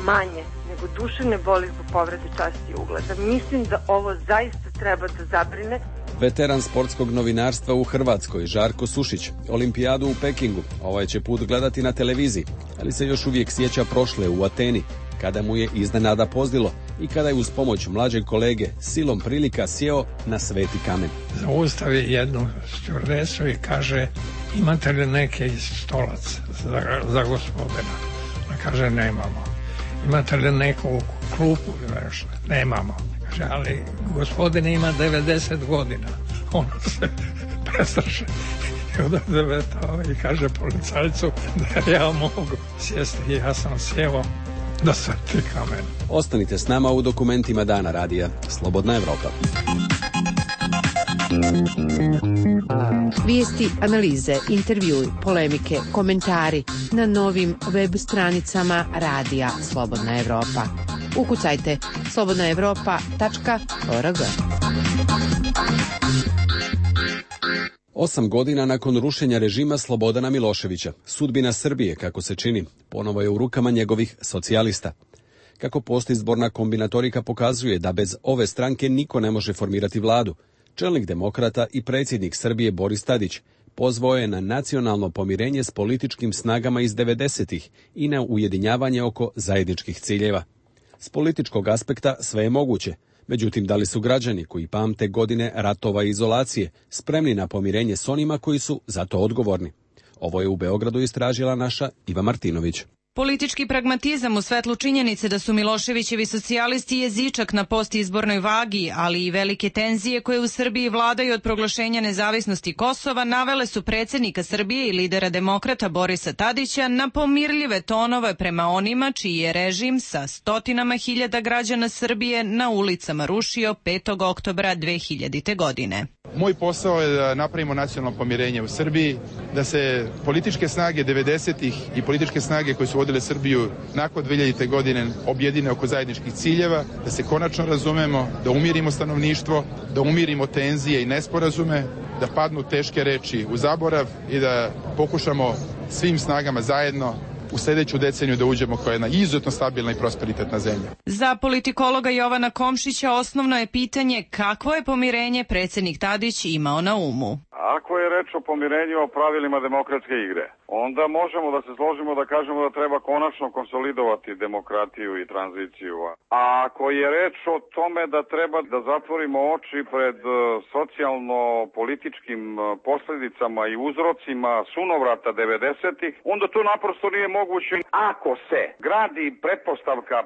manje nego duševne boli zbog povrede časti i ugleda. Mislim da ovo zaista treba da zabrine. Veteran sportskog novinarstva u Hrvatskoj, Žarko Sušić, olimpijadu u Pekingu, ovaj će put gledati na televiziji, ali se još uvijek sjeća prošle u Ateni, kada mu je iznenada pozdilo i kada je uz pomoć mlađeg kolege silom prilika sjeo na sveti kamen. Zaustavi jednu stjuardesu i kaže, imate li neke stolac za, za gospodina? Ona kaže, nemamo. Imate li neku klupu? Nemamo. Kaže, ali gospodin ima devedeset godina. On se prestraši i odavetao i kaže policajcu da ja mogu sjesti. Ja sam sjeo na sveti kamen. Ostanite s nama u Dokumentima dana Radija Slobodna Evropa. Vijesti, analize, intervjui, polemike, komentari na novim web stranicama Radija Slobodna Evropa. Ukucajte slobodna evropa tačka org. Osam godina nakon rušenja režima Slobodana Miloševića, sudbina Srbije, kako se čini, ponovo je u rukama njegovih socijalista. Kako postizborna kombinatorika pokazuje da bez ove stranke niko ne može formirati vladu, čelnik demokrata i predsjednik Srbije Boris Tadić pozvao je na nacionalno pomirenje s političkim snagama iz devedesetih i na ujedinjavanje oko zajedničkih ciljeva. S političkog aspekta sve je moguće, međutim da li su građani koji pamte godine ratova i izolacije spremni na pomirenje s onima koji su za to odgovorni? Ovo je u Beogradu istražila naša Iva Martinović. Politički pragmatizam u svetlu činjenice da su Miloševićevi socijalisti jezičak na postizbornoj vagi, ali i velike tenzije koje u Srbiji vladaju od proglašenja nezavisnosti Kosova, navele su predsjednika Srbije i lidera demokrata Borisa Tadića na pomirljive tonove prema onima čiji je režim sa stotinama hiljada građana Srbije na ulicama rušio petog oktobra dve hiljadite. godine. Moj posao je da napravimo nacionalno pomirenje u Srbiji, da se političke snage devedesetih i političke snage koje su vodile Srbiju nakon dve hiljadite. godine objedine oko zajedničkih ciljeva, da se konačno razumemo, da umirimo stanovništvo, da umirimo tenzije i nesporazume, da padnu teške reči u zaborav i da pokušamo svim snagama zajedno u sljedeću deceniju da uđemo kao jedna izuzetno stabilna i prosperitetna zemlja. Za politikologa Jovana Komšića osnovno je pitanje kakvo je pomirenje predsjednik Tadić imao na umu. Ako je reč o pomirenju o pravilima demokratske igre, onda možemo da se složimo da kažemo da treba konačno konsolidovati demokratiju i tranziciju. A ako je reč o tome da treba da zatvorimo oči pred socijalno-političkim posljedicama i uzrocima sunovrata devedesetih, onda to naprosto nije moguće. Ako se gradi pretpostavka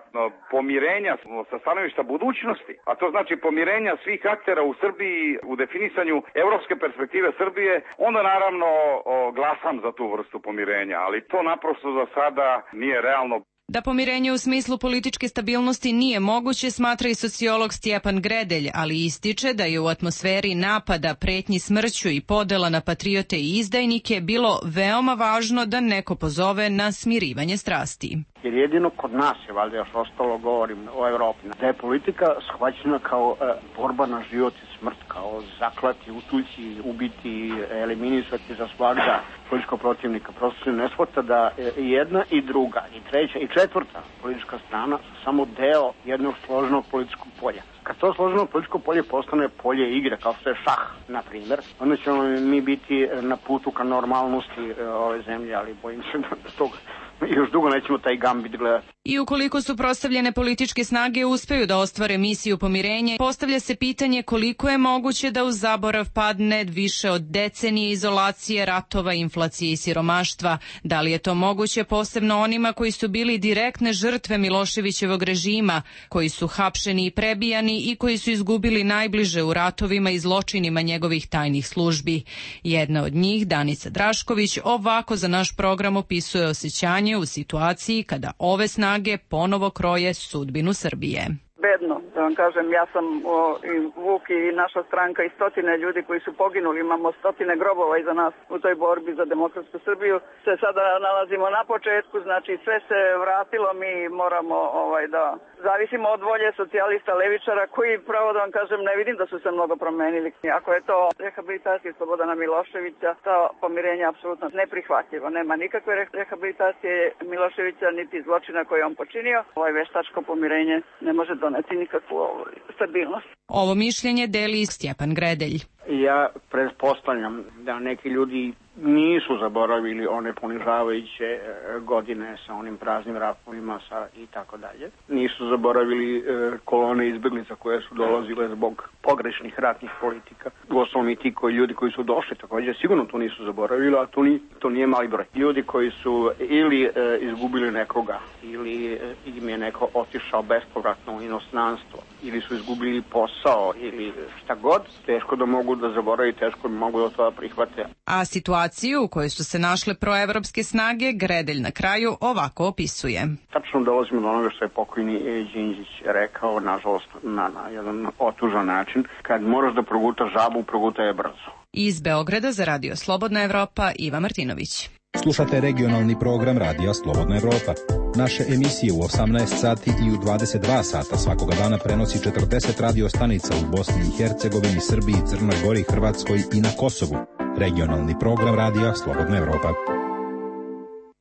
pomirenja sa stanovišta budućnosti, a to znači pomirenja svih aktera u Srbiji u definisanju evropske perspektive Srbije, onda naravno o, glasam za tu vrstu pomirenja, ali to naprosto za sada nije realno. Da pomirenje u smislu političke stabilnosti nije moguće, smatra i sociolog Stjepan Gredelj, ali ističe da je u atmosferi napada, pretnji smrću i podela na patriote i izdajnike bilo veoma važno da neko pozove na smirivanje strasti. Jer jedino kod nas je, valjda još ostalo, govorim o Evropi, da je politika shvaćena kao e, borba na život i smrt, kao zaklati, utući, ubiti, eliminisati za svakda političkog protivnika. Prosto se ne shvata da jedna i druga, i treća i četvrta politička strana su samo deo jednog složenog političkog polja. Kad to složeno političko polje postane polje igre, kao što je šah, na primjer, onda ćemo mi biti na putu ka normalnosti ove zemlje, ali bojim se da toga još dugo nećemo taj gambit gledati. I ukoliko su prostavljene političke snage uspeju da ostvare misiju pomirenja, postavlja se pitanje koliko je moguće da u zaborav padne više od decenije izolacije, ratova, inflacije i siromaštva. Da li je to moguće posebno onima koji su bili direktne žrtve Miloševićevog režima, koji su hapšeni i prebijani i koji su izgubili najbliže u ratovima i zločinima njegovih tajnih službi. Jedna od njih, Danica Drašković, ovako za naš program opisuje osjećanje u situaciji kada ove snage ponovo kroje sudbinu Srbije. Bedno, da vam kažem, ja sam o, i Vuk i naša stranka i stotine ljudi koji su poginuli, imamo stotine grobova iza nas u toj borbi za demokratsku Srbiju. Se sada nalazimo na početku, znači sve se vratilo, mi moramo ovaj, da zavisimo od volje socijalista, levičara, koji, pravo da vam kažem, ne vidim da su se mnogo promenili. Ako je to rehabilitacija Slobodana Miloševića, to pomirenje je apsolutno neprihvatljivo. Nema nikakve rehabilitacije Miloševića niti zločina koje je on počinio. Ovaj veštačko pomirenje ne može doneti nikakvu stabilnost. Ovo mišljenje deli Stjepan Gredelj. Ja pretpostavljam da neki ljudi nisu zaboravili one ponižavajuće godine sa onim praznim ratovima sa i tako dalje. Nisu zaboravili e, kolone izbeglica koje su dolazile zbog pogrešnih ratnih politika. Uostalom i ti koji ljudi koji su došli također sigurno to nisu zaboravili, a to, ni, to nije mali broj. Ljudi koji su ili e, izgubili nekoga, ili e, im je neko otišao bespovratno u inostranstvo, ili su izgubili posao, ili šta god, teško da mogu da zaboravi, teško da mogu da to prihvate. A situaciju u kojoj su se našle proevropske snage, Gredelj na kraju ovako opisuje. Tačno dolazimo do onoga što je pokojni Đinđić rekao, nažalost, na, na jedan otužan način. Kad moraš da progutaš žabu, progutaj je brzo. Iz Beograda za Radio Slobodna Evropa, Iva Martinović. Slušate regionalni program Radija Slobodna Evropa. Naše emisije u osamnaest sati i u dvadeset dva sata svakoga dana prenosi četrdeset radio stanica u Bosni i Hercegovini, Srbiji, Crnoj Gori, Hrvatskoj i na Kosovu. Regionalni program Radija Slobodna Evropa.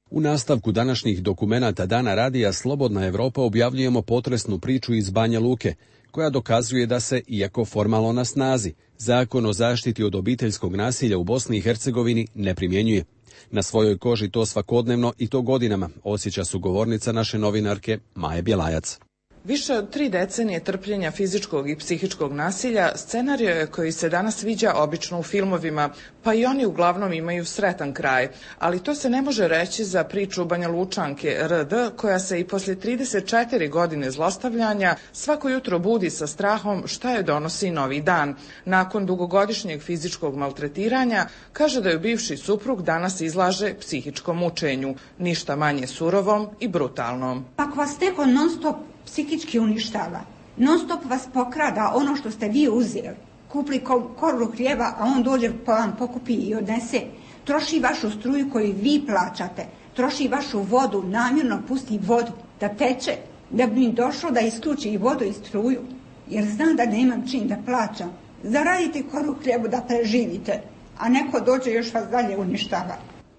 U nastavku današnjih dokumenata Dana Radija Slobodna Evropa objavljujemo potresnu priču iz Banja Luke, koja dokazuje da se, iako formalno na snazi, Zakon o zaštiti od obiteljskog nasilja u Bosni i Hercegovini ne primjenjuje. Na svojoj koži to svakodnevno i to godinama osjeća sugovornica naše novinarke Maje Bjelajac. Više od tri decenije trpljenja fizičkog i psihičkog nasilja scenario je koji se danas viđa obično u filmovima, pa i oni uglavnom imaju sretan kraj. Ali to se ne može reći za priču Banja Lučanke R D, koja se i poslije trideset četiri godine zlostavljanja svako jutro budi sa strahom šta je donosi novi dan. Nakon dugogodišnjeg fizičkog maltretiranja, kaže da ju bivši suprug danas izlaže psihičkom mučenju, ništa manje surovom i brutalnom. Ako vas neko non stop psihički uništava, non stop vas pokrada ono što ste vi uzeli, kupli koru hljeba, a on dođe pa vam pokupi i odnese, troši vašu struju koju vi plaćate, troši vašu vodu, namjerno pusti vodu da teče, da bi mi došlo da isključi i vodu i struju, jer zna da nemam čim da plaćam. Zaradite koru hljebu da preživite, a neko dođe još vas dalje uništava.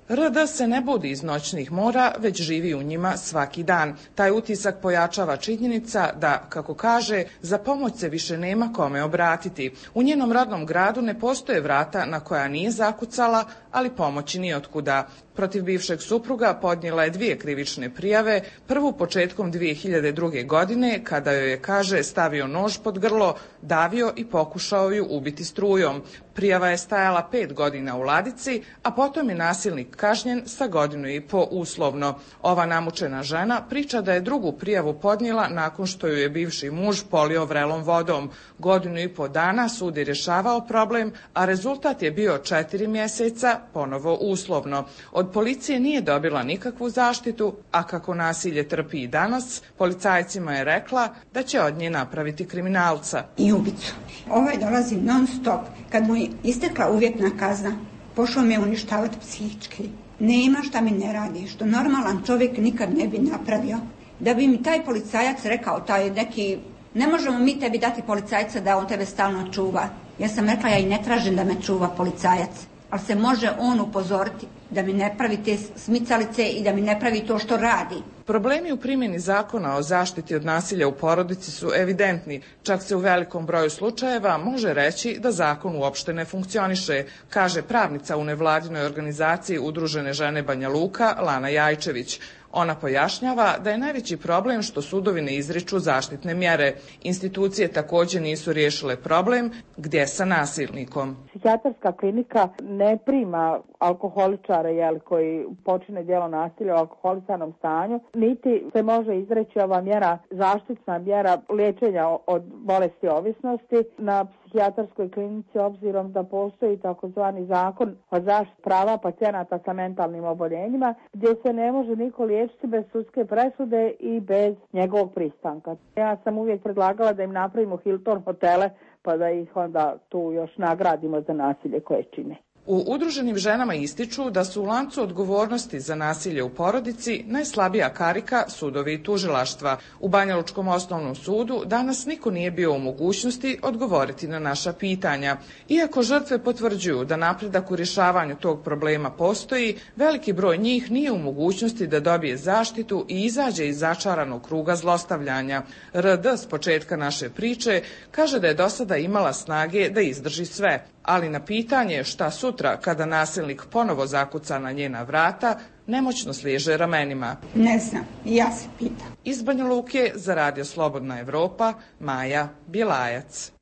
R D se ne budi iz noćnih mora, već živi u njima svaki dan. Taj utisak pojačava činjenica da, kako kaže, za pomoć se više nema kome obratiti. U njenom rodnom gradu ne postoje vrata na koja nije zakucala, ali pomoći ni otkuda. Protiv bivšeg supruga podnijela je dvije krivične prijave, prvu početkom dvije hiljade druge. godine, kada joj je, kaže, stavio nož pod grlo, davio i pokušao ju ubiti strujom. Prijava je stajala pet godina u ladici, a potom je nasilnik kažnjen sa godinu i po uslovno. Ova namučena žena priča da je drugu prijavu podnijela nakon što ju je bivši muž polio vrelom vodom. Godinu i po dana sud je rješavao problem, a rezultat je bio četiri mjeseca, ponovo uslovno. Od policije nije dobila nikakvu zaštitu, a kako nasilje trpi i danas, policajcima je rekla da će od nje napraviti kriminalca. I ubicu. Ovaj dolazi non stop. Kad mu je istekla uvjetna kazna, pošao me uništavati psihički. Nema šta mi ne radi, što normalan čovjek nikad ne bi napravio. Da bi mi taj policajac rekao, taj neki, ne možemo mi tebi dati policajca da on tebe stalno čuva. Ja sam rekla, ja i ne tražim da me čuva policajac, ali se može on upozoriti da mi ne pravi te smicalice i da mi ne pravi to što radi. Problemi u primjeni zakona o zaštiti od nasilja u porodici su evidentni. Čak se u velikom broju slučajeva može reći da zakon uopšte ne funkcioniše, kaže pravnica u nevladinoj organizaciji Udružene žene Banja Luka, Lana Jajčević. Ona pojašnjava da je najveći problem što sudovi ne izriču zaštitne mjere. Institucije također nisu riješile problem gdje sa nasilnikom. Psihijatarska klinika ne prima alkoholičare jel, koji počine djelo nasilja u alkoholisanom stanju, niti se može izreći ova mjera, zaštitna mjera liječenja od bolesti ovisnosti na psihijatarskoj klinici, obzirom da postoji takozvani zakon o zaštiti prava pacijenata sa mentalnim oboljenjima, gdje se ne može niko liječiti bez sudske presude i bez njegovog pristanka. Ja sam uvijek predlagala da im napravimo Hilton hotele, pa da ih onda tu još nagradimo za nasilje koje čine. U Udruženim ženama ističu da su u lancu odgovornosti za nasilje u porodici najslabija karika sudovi i tužilaštva. U Banjalučkom osnovnom sudu danas niko nije bio u mogućnosti odgovoriti na naša pitanja. Iako žrtve potvrđuju da napredak u rješavanju tog problema postoji, veliki broj njih nije u mogućnosti da dobije zaštitu i izađe iz začaranog kruga zlostavljanja. R D s početka naše priče kaže da je do sada imala snage da izdrži sve, ali na pitanje šta sutra kada nasilnik ponovo zakuca na njena vrata, nemoćno sliježe ramenima. Ne znam, ja se pitam. Iz Banja Luke za Radio Slobodna Evropa, Maja Bjelajac.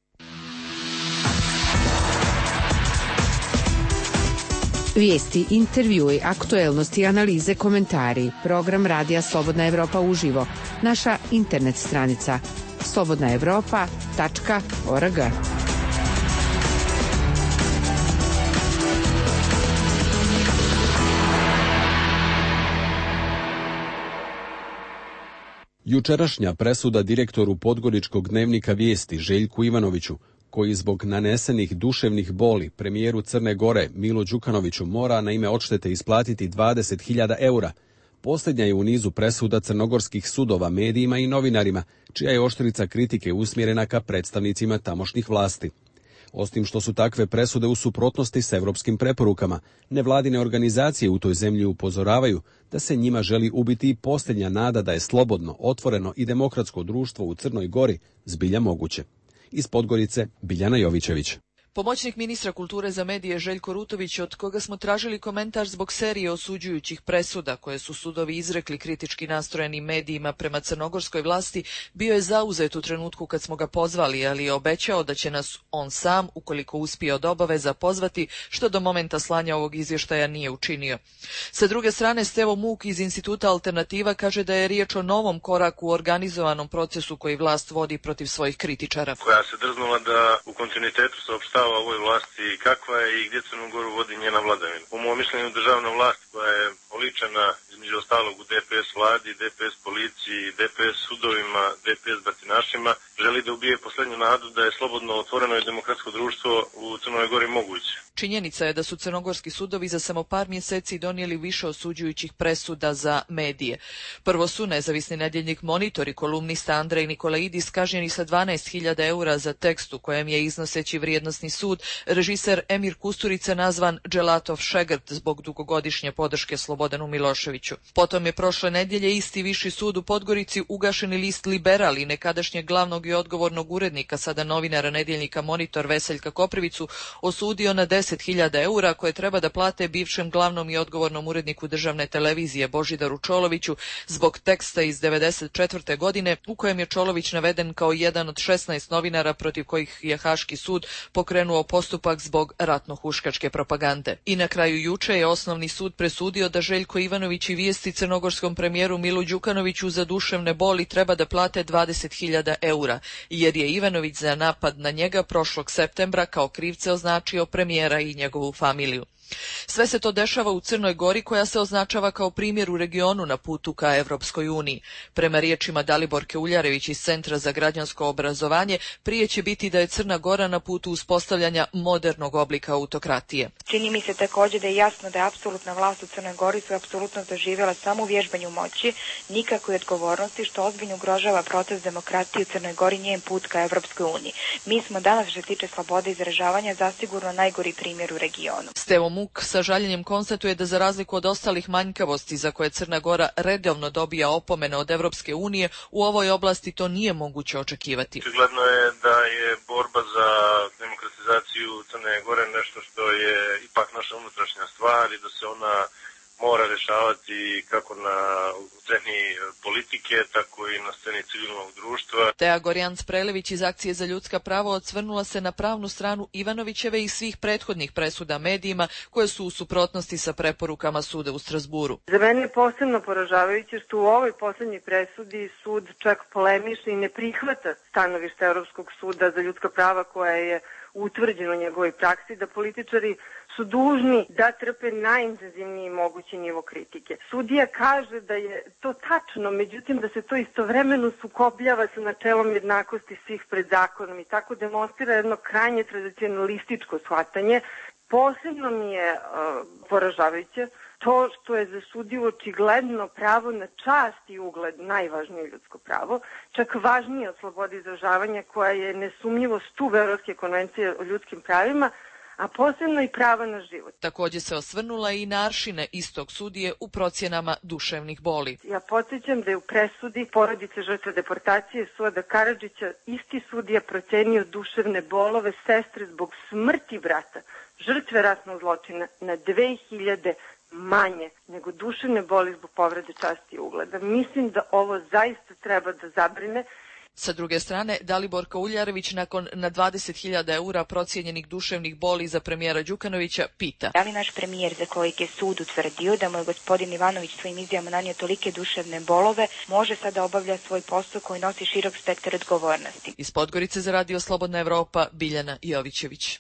Vijesti, intervjui, aktuelnosti, analize, komentari. Program Radija Slobodna Evropa uživo. Naša internet stranica slobodna evropa tačka org. Jučerašnja presuda direktoru Podgoričkog dnevnika Vijesti Željku Ivanoviću, koji zbog nanesenih duševnih boli premijeru Crne Gore Milo Đukanoviću mora na ime odštete isplatiti dvadeset hiljada eura, posljednja je u nizu presuda crnogorskih sudova medijima i novinarima, čija je oštrica kritike usmjerena ka predstavnicima tamošnjih vlasti. Osim što su takve presude u suprotnosti s evropskim preporukama, nevladine organizacije u toj zemlji upozoravaju da se njima želi ubiti i posljednja nada da je slobodno, otvoreno i demokratsko društvo u Crnoj Gori zbilja moguće. Iz Podgorice, Biljana Jovićević. Pomoćnik ministra kulture za medije Željko Rutović, od koga smo tražili komentar zbog serije osuđujućih presuda koje su sudovi izrekli kritički nastrojenim medijima prema crnogorskoj vlasti, bio je zauzet u trenutku kad smo ga pozvali, ali je obećao da će nas on sam, ukoliko uspije od obaveza, pozvati, što do momenta slanja ovog izvještaja nije učinio. Sa druge strane, Stevo Muk iz Instituta Alternativa kaže da je riječ o novom koraku u organizovanom procesu koji vlast vodi protiv svojih kritičara. Koja se drznula da u kontinuitetu saopštava ovoj vlasti kakva je i gdje Crnu Goru vodi njena vladavina. Po mojom mišljenju državna vlast koja je oličena između ostalog u D P S vladi, D P S policiji, D P S sudovima, D P S batinašima, želi da ubije posljednju nadu da je slobodno, otvoreno i demokratsko društvo u Crnoj Gori moguće. Činjenica je da su crnogorski sudovi za samo par mjeseci donijeli više osuđujućih presuda za medije. Prvo su nezavisni nedjeljnik Monitor i kolumnista Andrej Nikolaidis kažnjeni sa dvanaest hiljada eura za tekst u kojem je, iznoseći vrijednosni sud, režiser Emir Kusturica nazvan Dželatov šegrt zbog dugogodišnje podrške Slobodanu Miloševiću. Potom je prošle nedjelje isti viši sud u Podgorici ugašeni list Liberal i nekadašnjeg glavnog i odgovornog urednika, sada novinara nedjeljnika Monitor Veseljka Koprivicu, osudio na deset deset hiljada eura koje treba da plate bivšem glavnom i odgovornom uredniku državne televizije Božidaru Čoloviću zbog teksta iz devedeset četvrte godine u kojem je Čolović naveden kao jedan od šesnaest novinara protiv kojih je Haški sud pokrenuo postupak zbog ratno-huškačke propagande. I na kraju juče je Osnovni sud presudio da Željko Ivanović i vijesti crnogorskom premijeru Milu Đukanoviću za duševne boli treba da plate dvadeset hiljada eura, jer je Ivanović za napad na njega prošlog septembra kao krivce označio premijera i njegovu familiju. Sve se to dešava u Crnoj Gori koja se označava kao primjer u regionu na putu ka Evropskoj uniji. Prema riječima Daliborke Uljarević iz Centra za građansko obrazovanje, prije će biti da je Crna Gora na putu uspostavljanja modernog oblika autokratije. Čini mi se također da je jasno da je apsolutna vlast u Crnoj Gori su apsolutno doživjela samo u vježbanju moći, nikakve odgovornosti, što ozbiljno ugrožava proces demokratije u Crnoj Gori, njen put ka Evropskoj uniji. Mi smo danas, što se tiče slobode izražavanja, zasigurno najgori primjer u regionu. Stevo Muk sa žaljenjem konstatuje da za razliku od ostalih manjkavosti za koje Crna Gora redovno dobija opomene od Evropske unije, u ovoj oblasti to nije moguće očekivati. Očigledno je da je borba za demokratizaciju Crne Gore nešto što je ipak naša unutrašnja stvar i da se ona mora rešavati kako na sceni politike, tako i na sceni civilnog društva. Teja Gorjan-Sprelević iz Akcije za ljudska prava odsvrnula se na pravnu stranu Ivanovićeve i svih prethodnih presuda medijima koje su u suprotnosti sa preporukama suda u Strasburu. Za mene je posebno poražavajuće što u ovoj posljednjoj presudi sud čak polemiše i ne prihvata stanovište Europskog suda za ljudska prava koje je utvrđeno u njegovoj praksi, da političari su dužni da trpe najintenzivniji mogući nivo kritike. Sudija kaže da je to tačno, međutim da se to istovremeno sukobljava sa načelom jednakosti svih pred zakonom i tako demonstrira jedno krajnje tradicionalističko shvatanje. Posebno mi je uh, poražavajuće to što je za sudiju očigledno pravo na čast i ugled najvažnije ljudsko pravo, čak važnije od slobode izražavanja koja je nesumnjivo stub Evropske konvencije o ljudskim pravima, a posebno i prava na život. Također se osvrnula i na aršine istog sudije u procjenama duševnih boli. Ja podsjećam da je u presudi porodice žrtve deportacije Suada Karadžića isti sudija procenio duševne bolove sestre zbog smrti brata, žrtve ratnog zločina, na dve hiljade manje nego duševne boli zbog povrede časti i ugleda. Mislim da ovo zaista treba da zabrine. Sa druge strane, Daliborka Uljarević nakon na dvadeset hiljada eura procijenjenih duševnih boli za premijera Đukanovića pita. Da li naš premijer za kojeg je sud utvrdio da mu je gospodin Ivanović svojim izjavama nanio tolike duševne bolove, može sada obavlja svoj posao koji nosi širok spektar odgovornosti? Iz Podgorice za Radio Slobodna Evropa, Biljana Jovićević.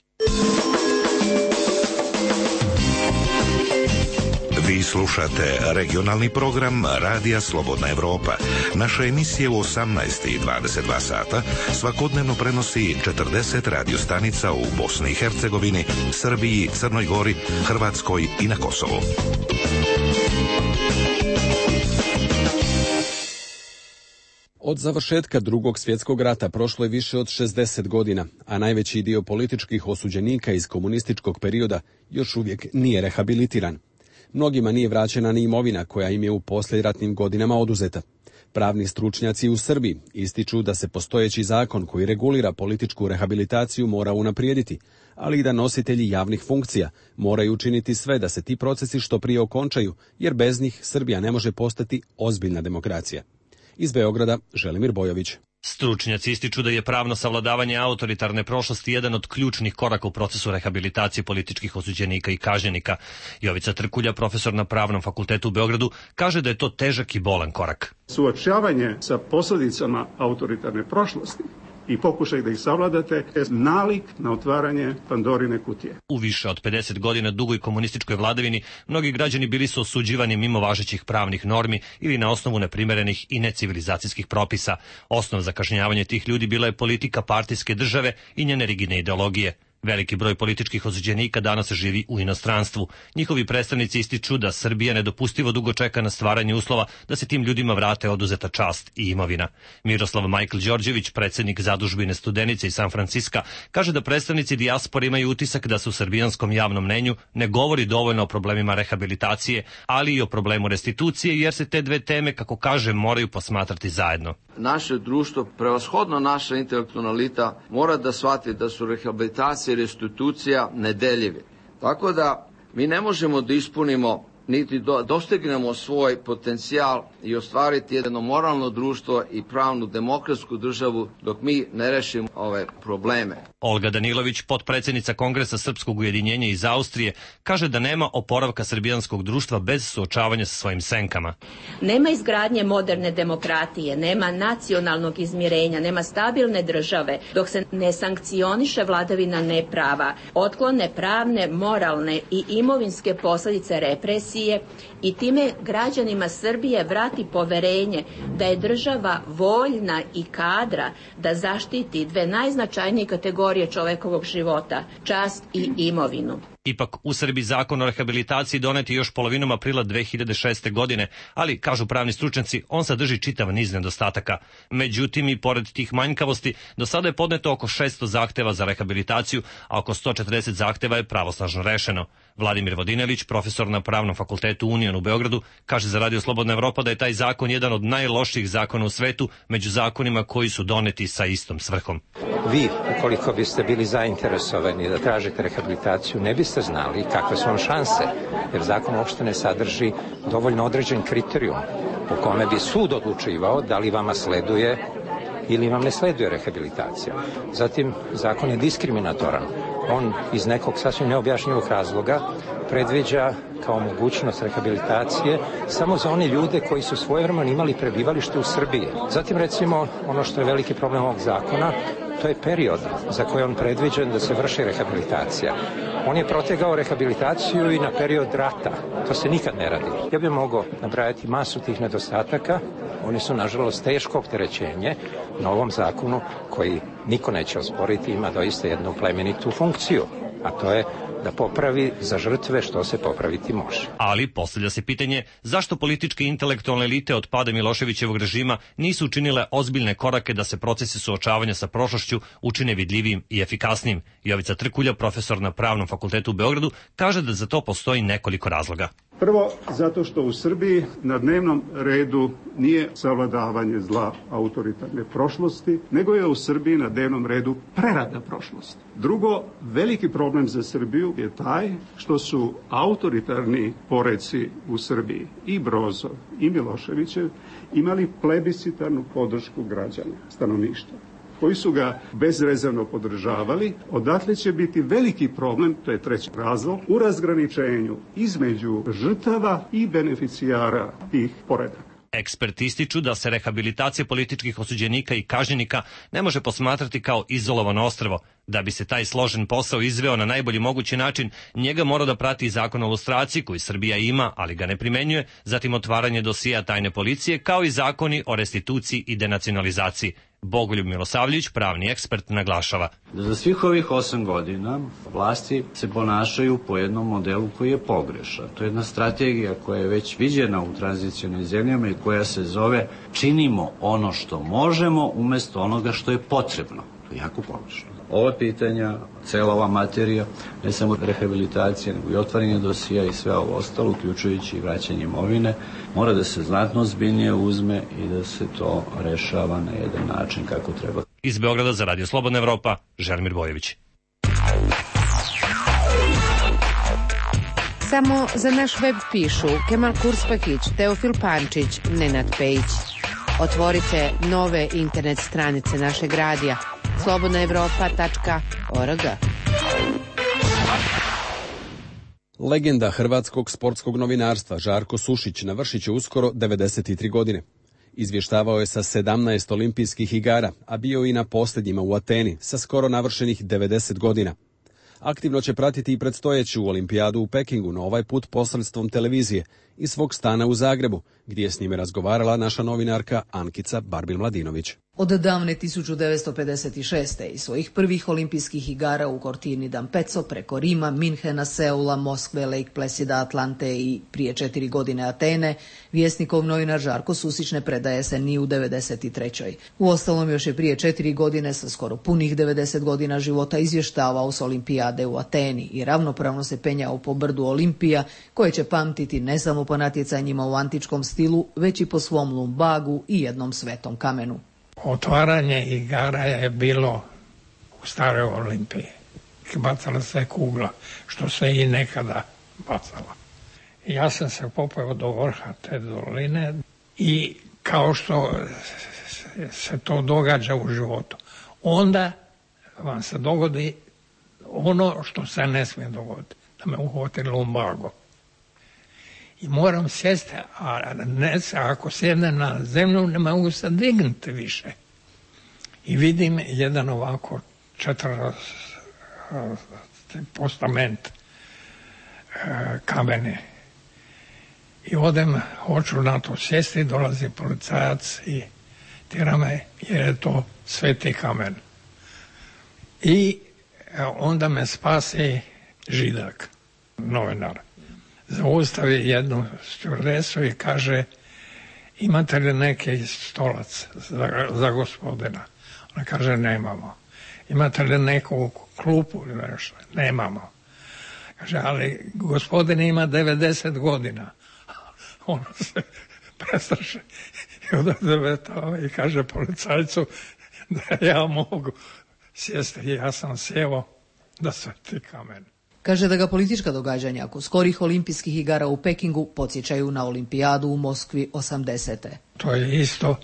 Vi slušate regionalni program Radija Slobodna Evropa. Naše emisije u osamnaest i dvadeset dva sata svakodnevno prenosi četrdeset radiostanica u Bosni i Hercegovini, Srbiji, Crnoj Gori, Hrvatskoj i na Kosovu. Od završetka Drugog svjetskog rata prošlo je više od šezdeset godina, a najveći dio političkih osuđenika iz komunističkog perioda još uvijek nije rehabilitiran. Mnogima nije vraćena ni imovina koja im je u poslijeratnim godinama oduzeta. Pravni stručnjaci u Srbiji ističu da se postojeći zakon koji regulira političku rehabilitaciju mora unaprijediti, ali i da nositelji javnih funkcija moraju učiniti sve da se ti procesi što prije okončaju, jer bez njih Srbija ne može postati ozbiljna demokracija. Iz Beograda, Želimir Bojović. Stručnjaci ističu da je pravno savladavanje autoritarne prošlosti jedan od ključnih koraka u procesu rehabilitacije političkih osuđenika i kažnjenika. Jovica Trkulja, profesor na Pravnom fakultetu u Beogradu, kaže da je to težak i bolan korak. Suočavanje sa posljedicama autoritarne prošlosti i pokušaj da ih savladate je nalik na otvaranje Pandorine kutije. U više od pedeset godina dugoj komunističkoj vladavini mnogi građani bili su osuđivani mimo važećih pravnih normi ili na osnovu neprimerenih i necivilizacijskih propisa. Osnov za kažnjavanje tih ljudi bila je politika partijske države i njene rigidne ideologije. Veliki broj političkih osuđenika danas živi u inostranstvu. Njihovi predstavnici ističu da Srbija nedopustivo dugo čeka na stvaranje uslova da se tim ljudima vrate oduzeta čast i imovina. Miroslav Majkl Đorđević, predsjednik zadužbine Studenice iz San Franciska, kaže da predstavnici dijaspore imaju utisak da se u srbijanskom javnom mnenju ne govori dovoljno o problemima rehabilitacije, ali i o problemu restitucije, jer se te dve teme, kako kaže, moraju posmatrati zajedno. Naše društvo, prevashodno naša intelektualna elita, mora da shvati da su rehabilitacija i restitucija nedeljivi. Tako da mi ne možemo da ispunimo niti do, dostignemo svoj potencijal i ostvariti jedno moralno društvo i pravnu demokratsku državu dok mi ne rešimo ove probleme. Olga Danilović, potpredsjednica Kongresa Srpskog ujedinjenja iz Austrije, kaže da nema oporavka srbijanskog društva bez suočavanja sa svojim senkama. Nema izgradnje moderne demokratije, nema nacionalnog izmirenja, nema stabilne države dok se ne sankcioniše vladavina neprava, otklone pravne, moralne i imovinske posljedice represije i time građanima Srbije vrati poverenje da je država voljna i kadra da zaštiti dve najznačajnije kategorije čovekovog života, čast i imovinu. Ipak u Srbiji zakon o rehabilitaciji donet je još polovinom aprila dve hiljade šeste. godine, ali, kažu pravni stručnjaci, on sadrži čitav niz nedostataka. Međutim, i pored tih manjkavosti, do sada je podneto oko šesto zahteva za rehabilitaciju, a oko sto četrdeset zahteva je pravosnažno rešeno. Vladimir Vodinelić, profesor na Pravnom fakultetu Union u Beogradu, kaže za Radio Slobodna Evropa da je taj zakon jedan od najlošijih zakona u svetu među zakonima koji su doneti sa istom svrhom. Vi, ukoliko biste bili zainteresovani da tražite rehabilitaciju, ne biste znali kakve su vam šanse, jer zakon uopšte ne sadrži dovoljno određen kriterijum po kome bi sud odlučivao da li vama sleduje ili vam ne sleduje rehabilitacija. Zatim, zakon je diskriminatoran. On iz nekog sasvim neobjašnjivog razloga predviđa kao mogućnost rehabilitacije samo za one ljude koji su svojevremeno imali prebivalište u Srbiji. Zatim, recimo, ono što je veliki problem ovog zakona, to je period za koji on predviđen da se vrši rehabilitacija. On je protegao rehabilitaciju i na period rata. To se nikad ne radi. Ja bih mogao nabrajati masu tih nedostataka. Oni su, nažalost, teško opterećenje na ovom zakonu koji niko neće osporiti, ima doista jednu plemenitu funkciju, a to je da popravi za žrtve što se popraviti može. Ali postavlja se pitanje zašto političke i intelektualne elite od pada Miloševićevog režima nisu učinile ozbiljne korake da se procesi suočavanja sa prošlošću učine vidljivijim i efikasnijim. Jovica Trkulja, profesor na Pravnom fakultetu u Beogradu, kaže da za to postoji nekoliko razloga. Prvo, zato što u Srbiji na dnevnom redu nije savladavanje zla autoritarne prošlosti, nego je u Srbiji na dnevnom redu prerada prošlosti. Drugo, veliki problem za Srbiju je taj što su autoritarni poreci u Srbiji, i Brozov i Miloševićev, imali plebiscitarnu podršku građana, stanovništva, koji su ga bezrezervno podržavali. Odatle će biti veliki problem, to je treći razlog, u razgraničenju između žrtava i beneficijara tih poredaka. Eksperti ističu da se rehabilitacija političkih osuđenika i kažnjenika ne može posmatrati kao izolovano ostrvo. Da bi se taj složen posao izveo na najbolji mogući način, njega mora da prati zakon o lustraciji koji Srbija ima, ali ga ne primenjuje, zatim otvaranje dosija tajne policije, kao i zakoni o restituciji i denacionalizaciji. Bogoljub Milosavljević, pravni ekspert, naglašava. Za svih ovih osam godina vlasti se ponašaju po jednom modelu koji je pogrešan. To je jedna strategija koja je već viđena u tranzicionim zemljama i koja se zove činimo ono što možemo umjesto onoga što je potrebno. To je jako pogrešno. Ova pitanja, cela ova materija, ne samo rehabilitacija, nego i otvaranje dosija i sve ovo ostalo, uključujući i vraćanje imovine, mora da se znatno ozbiljnije uzme i da se to rešava na jedan način kako treba. Iz Beograda za Radio Slobodna Evropa, Želimir Bojević. Samo za naš web pišu Kemal Kurspahić, Teofil Pančić, Nenad Pejić. Otvorite nove internet stranice našeg radija slobodna evropa tačka org. Legenda hrvatskog sportskog novinarstva Žarko Sušić navršit će uskoro devedeset tri godine. Izvještavao je sa sedamnaest olimpijskih igara, a bio i na posljednjima u Ateni sa skoro navršenih devedeset godina. Aktivno će pratiti i predstojeću olimpijadu u Pekingu, no ovaj put posredstvom televizije i svog stana u Zagrebu, gdje je s njime razgovarala naša novinarka Ankica Barbil-Mladinović. Od davne tisuću devetsto pedeset šeste. i svojih prvih olimpijskih igara u Cortini d'Ampezzo preko Rima, Minhena, Seula, Moskve, Lake Placida, Atlante i prije četiri godine Atene, vjesnikov novinar Žarko Sušić ne predaje se ni u devedeset trećoj. Uostalom još je prije četiri godine sa skoro punih devedeset godina života izvještavao s olimpijade u Ateni i ravnopravno se penjao po brdu Olimpija, koje će pamtiti ne samo po natjecanjima u antičkom stilu, već i po svom lumbagu i jednom svetom kamenu. Otvaranje igara je bilo u staroj Olimpiji. bacala se kugla, što se i nekada bacala. Ja sam se popeo do vrha te doline i kao što se to događa u životu, onda vam se dogodi ono što se ne smije dogoditi, da me uhvati lumbago. I moram sjesti, a ne, ako sjednem na zemlju ne mogu se dignuti više. I vidim jedan ovako četiri postament kamene. I odem, hoću na to sjesti, dolazi policajac i tjera me jer je to sveti kamen. I onda me spasi Židak, novinar. Zaustavi jednu stjuardesu i kaže, imate li neki stolac za, za gospodina? Ona kaže, nemamo. Imate li neku klupu ili nešto? Nemamo. Kaže, ali gospodin ima devedeset godina. Ono se prestraši i odavde i kaže policajcu da ja mogu sjesti. Ja sam sjeo da sveti kamen. Kaže da ga politička događanja oko skorih olimpijskih igara u Pekingu podsjećaju na olimpijadu u Moskvi osamdesete. To je isto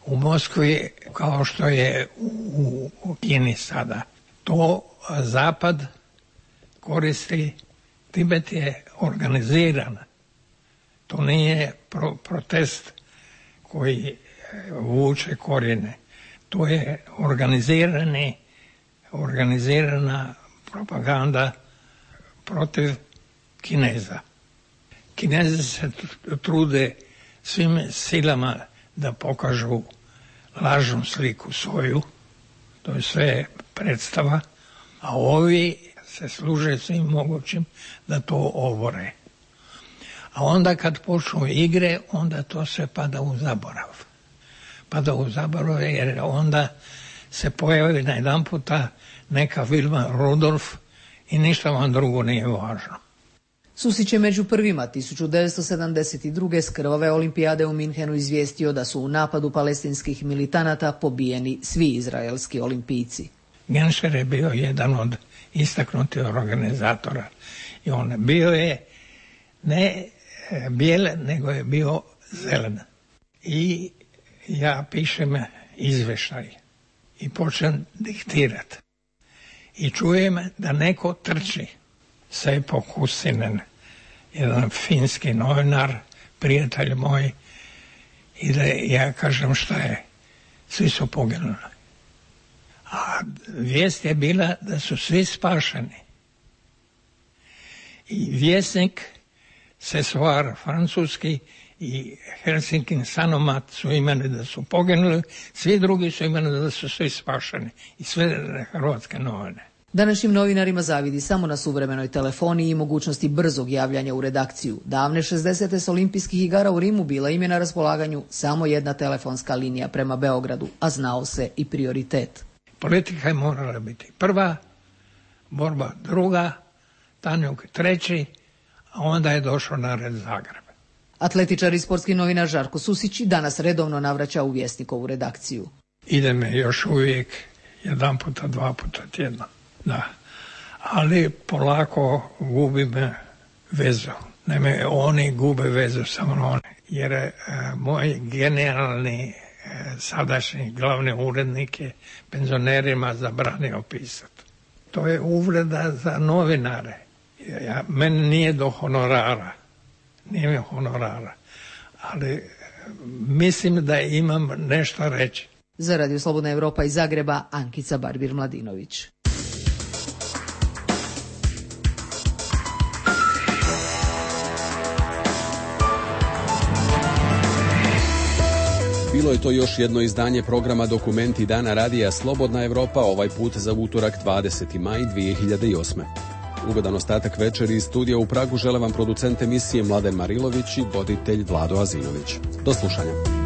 u Moskvi kao što je u, u Kini sada. To Zapad koristi, Tibet je organiziran. To nije pro, protest koji vuče korijene. To je organizirani, organizirana propaganda protiv Kineza. Kinezi se trude svim silama da pokažu lažnu sliku svoju, to je sve predstava, a ovi se služe svim mogućim da to obore. A onda kad počnu igre, onda to se pada u zaborav. Pada u zaborav jer onda se pojavi na jedan puta neka Vilma Rudolf i ništa vam drugo nije važno. Susić je među prvima tisuću devetsto sedamdeset druge s krvave olimpijade u Minhenu izvijestio da su u napadu palestinskih militanata pobijeni svi izraelski olimpijci. Genscher je bio jedan od istaknutih organizatora i on bio je ne bijel, nego je bio zelen. I ja pišem izveštaj i počnem diktirati. I čujem da neko trči. Seppo Kussinen, jedan finski novinar, prijatelj moj, i da ja kažem šta je. Svi su poginuli. A vijest je bila da su svi spašeni. I vjesnik Sesoar francuski i Helsinkin Sanomat su imali da su poginuli, svi drugi su imali da su svi spašeni i sve hrvatske novine. Današnjim novinarima zavidi samo na suvremenoj telefoniji i mogućnosti brzog javljanja u redakciju. Davne šezdesete s olimpijskih igara u Rimu bila im je na raspolaganju samo jedna telefonska linija prema Beogradu, a znao se i prioritet. Politika je morala biti prva, borba druga, Tanjuk treći, a onda je došao na red Zagreb. Atletičar i sportski novinar Žarko Susić danas redovno navraća u Vjesnikovu redakciju. Ide me još uvijek jedan puta, dva puta tjedno. Da, ali polako gubim vezu. Naime, oni gube vezu sa mnom, jer e, moj genijalni e, sadašnji glavni urednik je penzionerima zabranio pisati. To je uvreda za novinare. Ja, meni nije do honorara, nije mi honorara, ali e, mislim da imam nešto reći. Za Radio Slobodna Evropa iz Zagreba, Ankica Barbir-Mladinović. Bilo je to još jedno izdanje programa Dokumenti dana Radija Slobodna Evropa, ovaj put za utorak dvadeseti maj dvije hiljade osme. Ugodan ostatak večeri iz studija u Pragu žele vam producent emisije Mladen Marilović i voditelj Vlado Azinović. Do slušanja.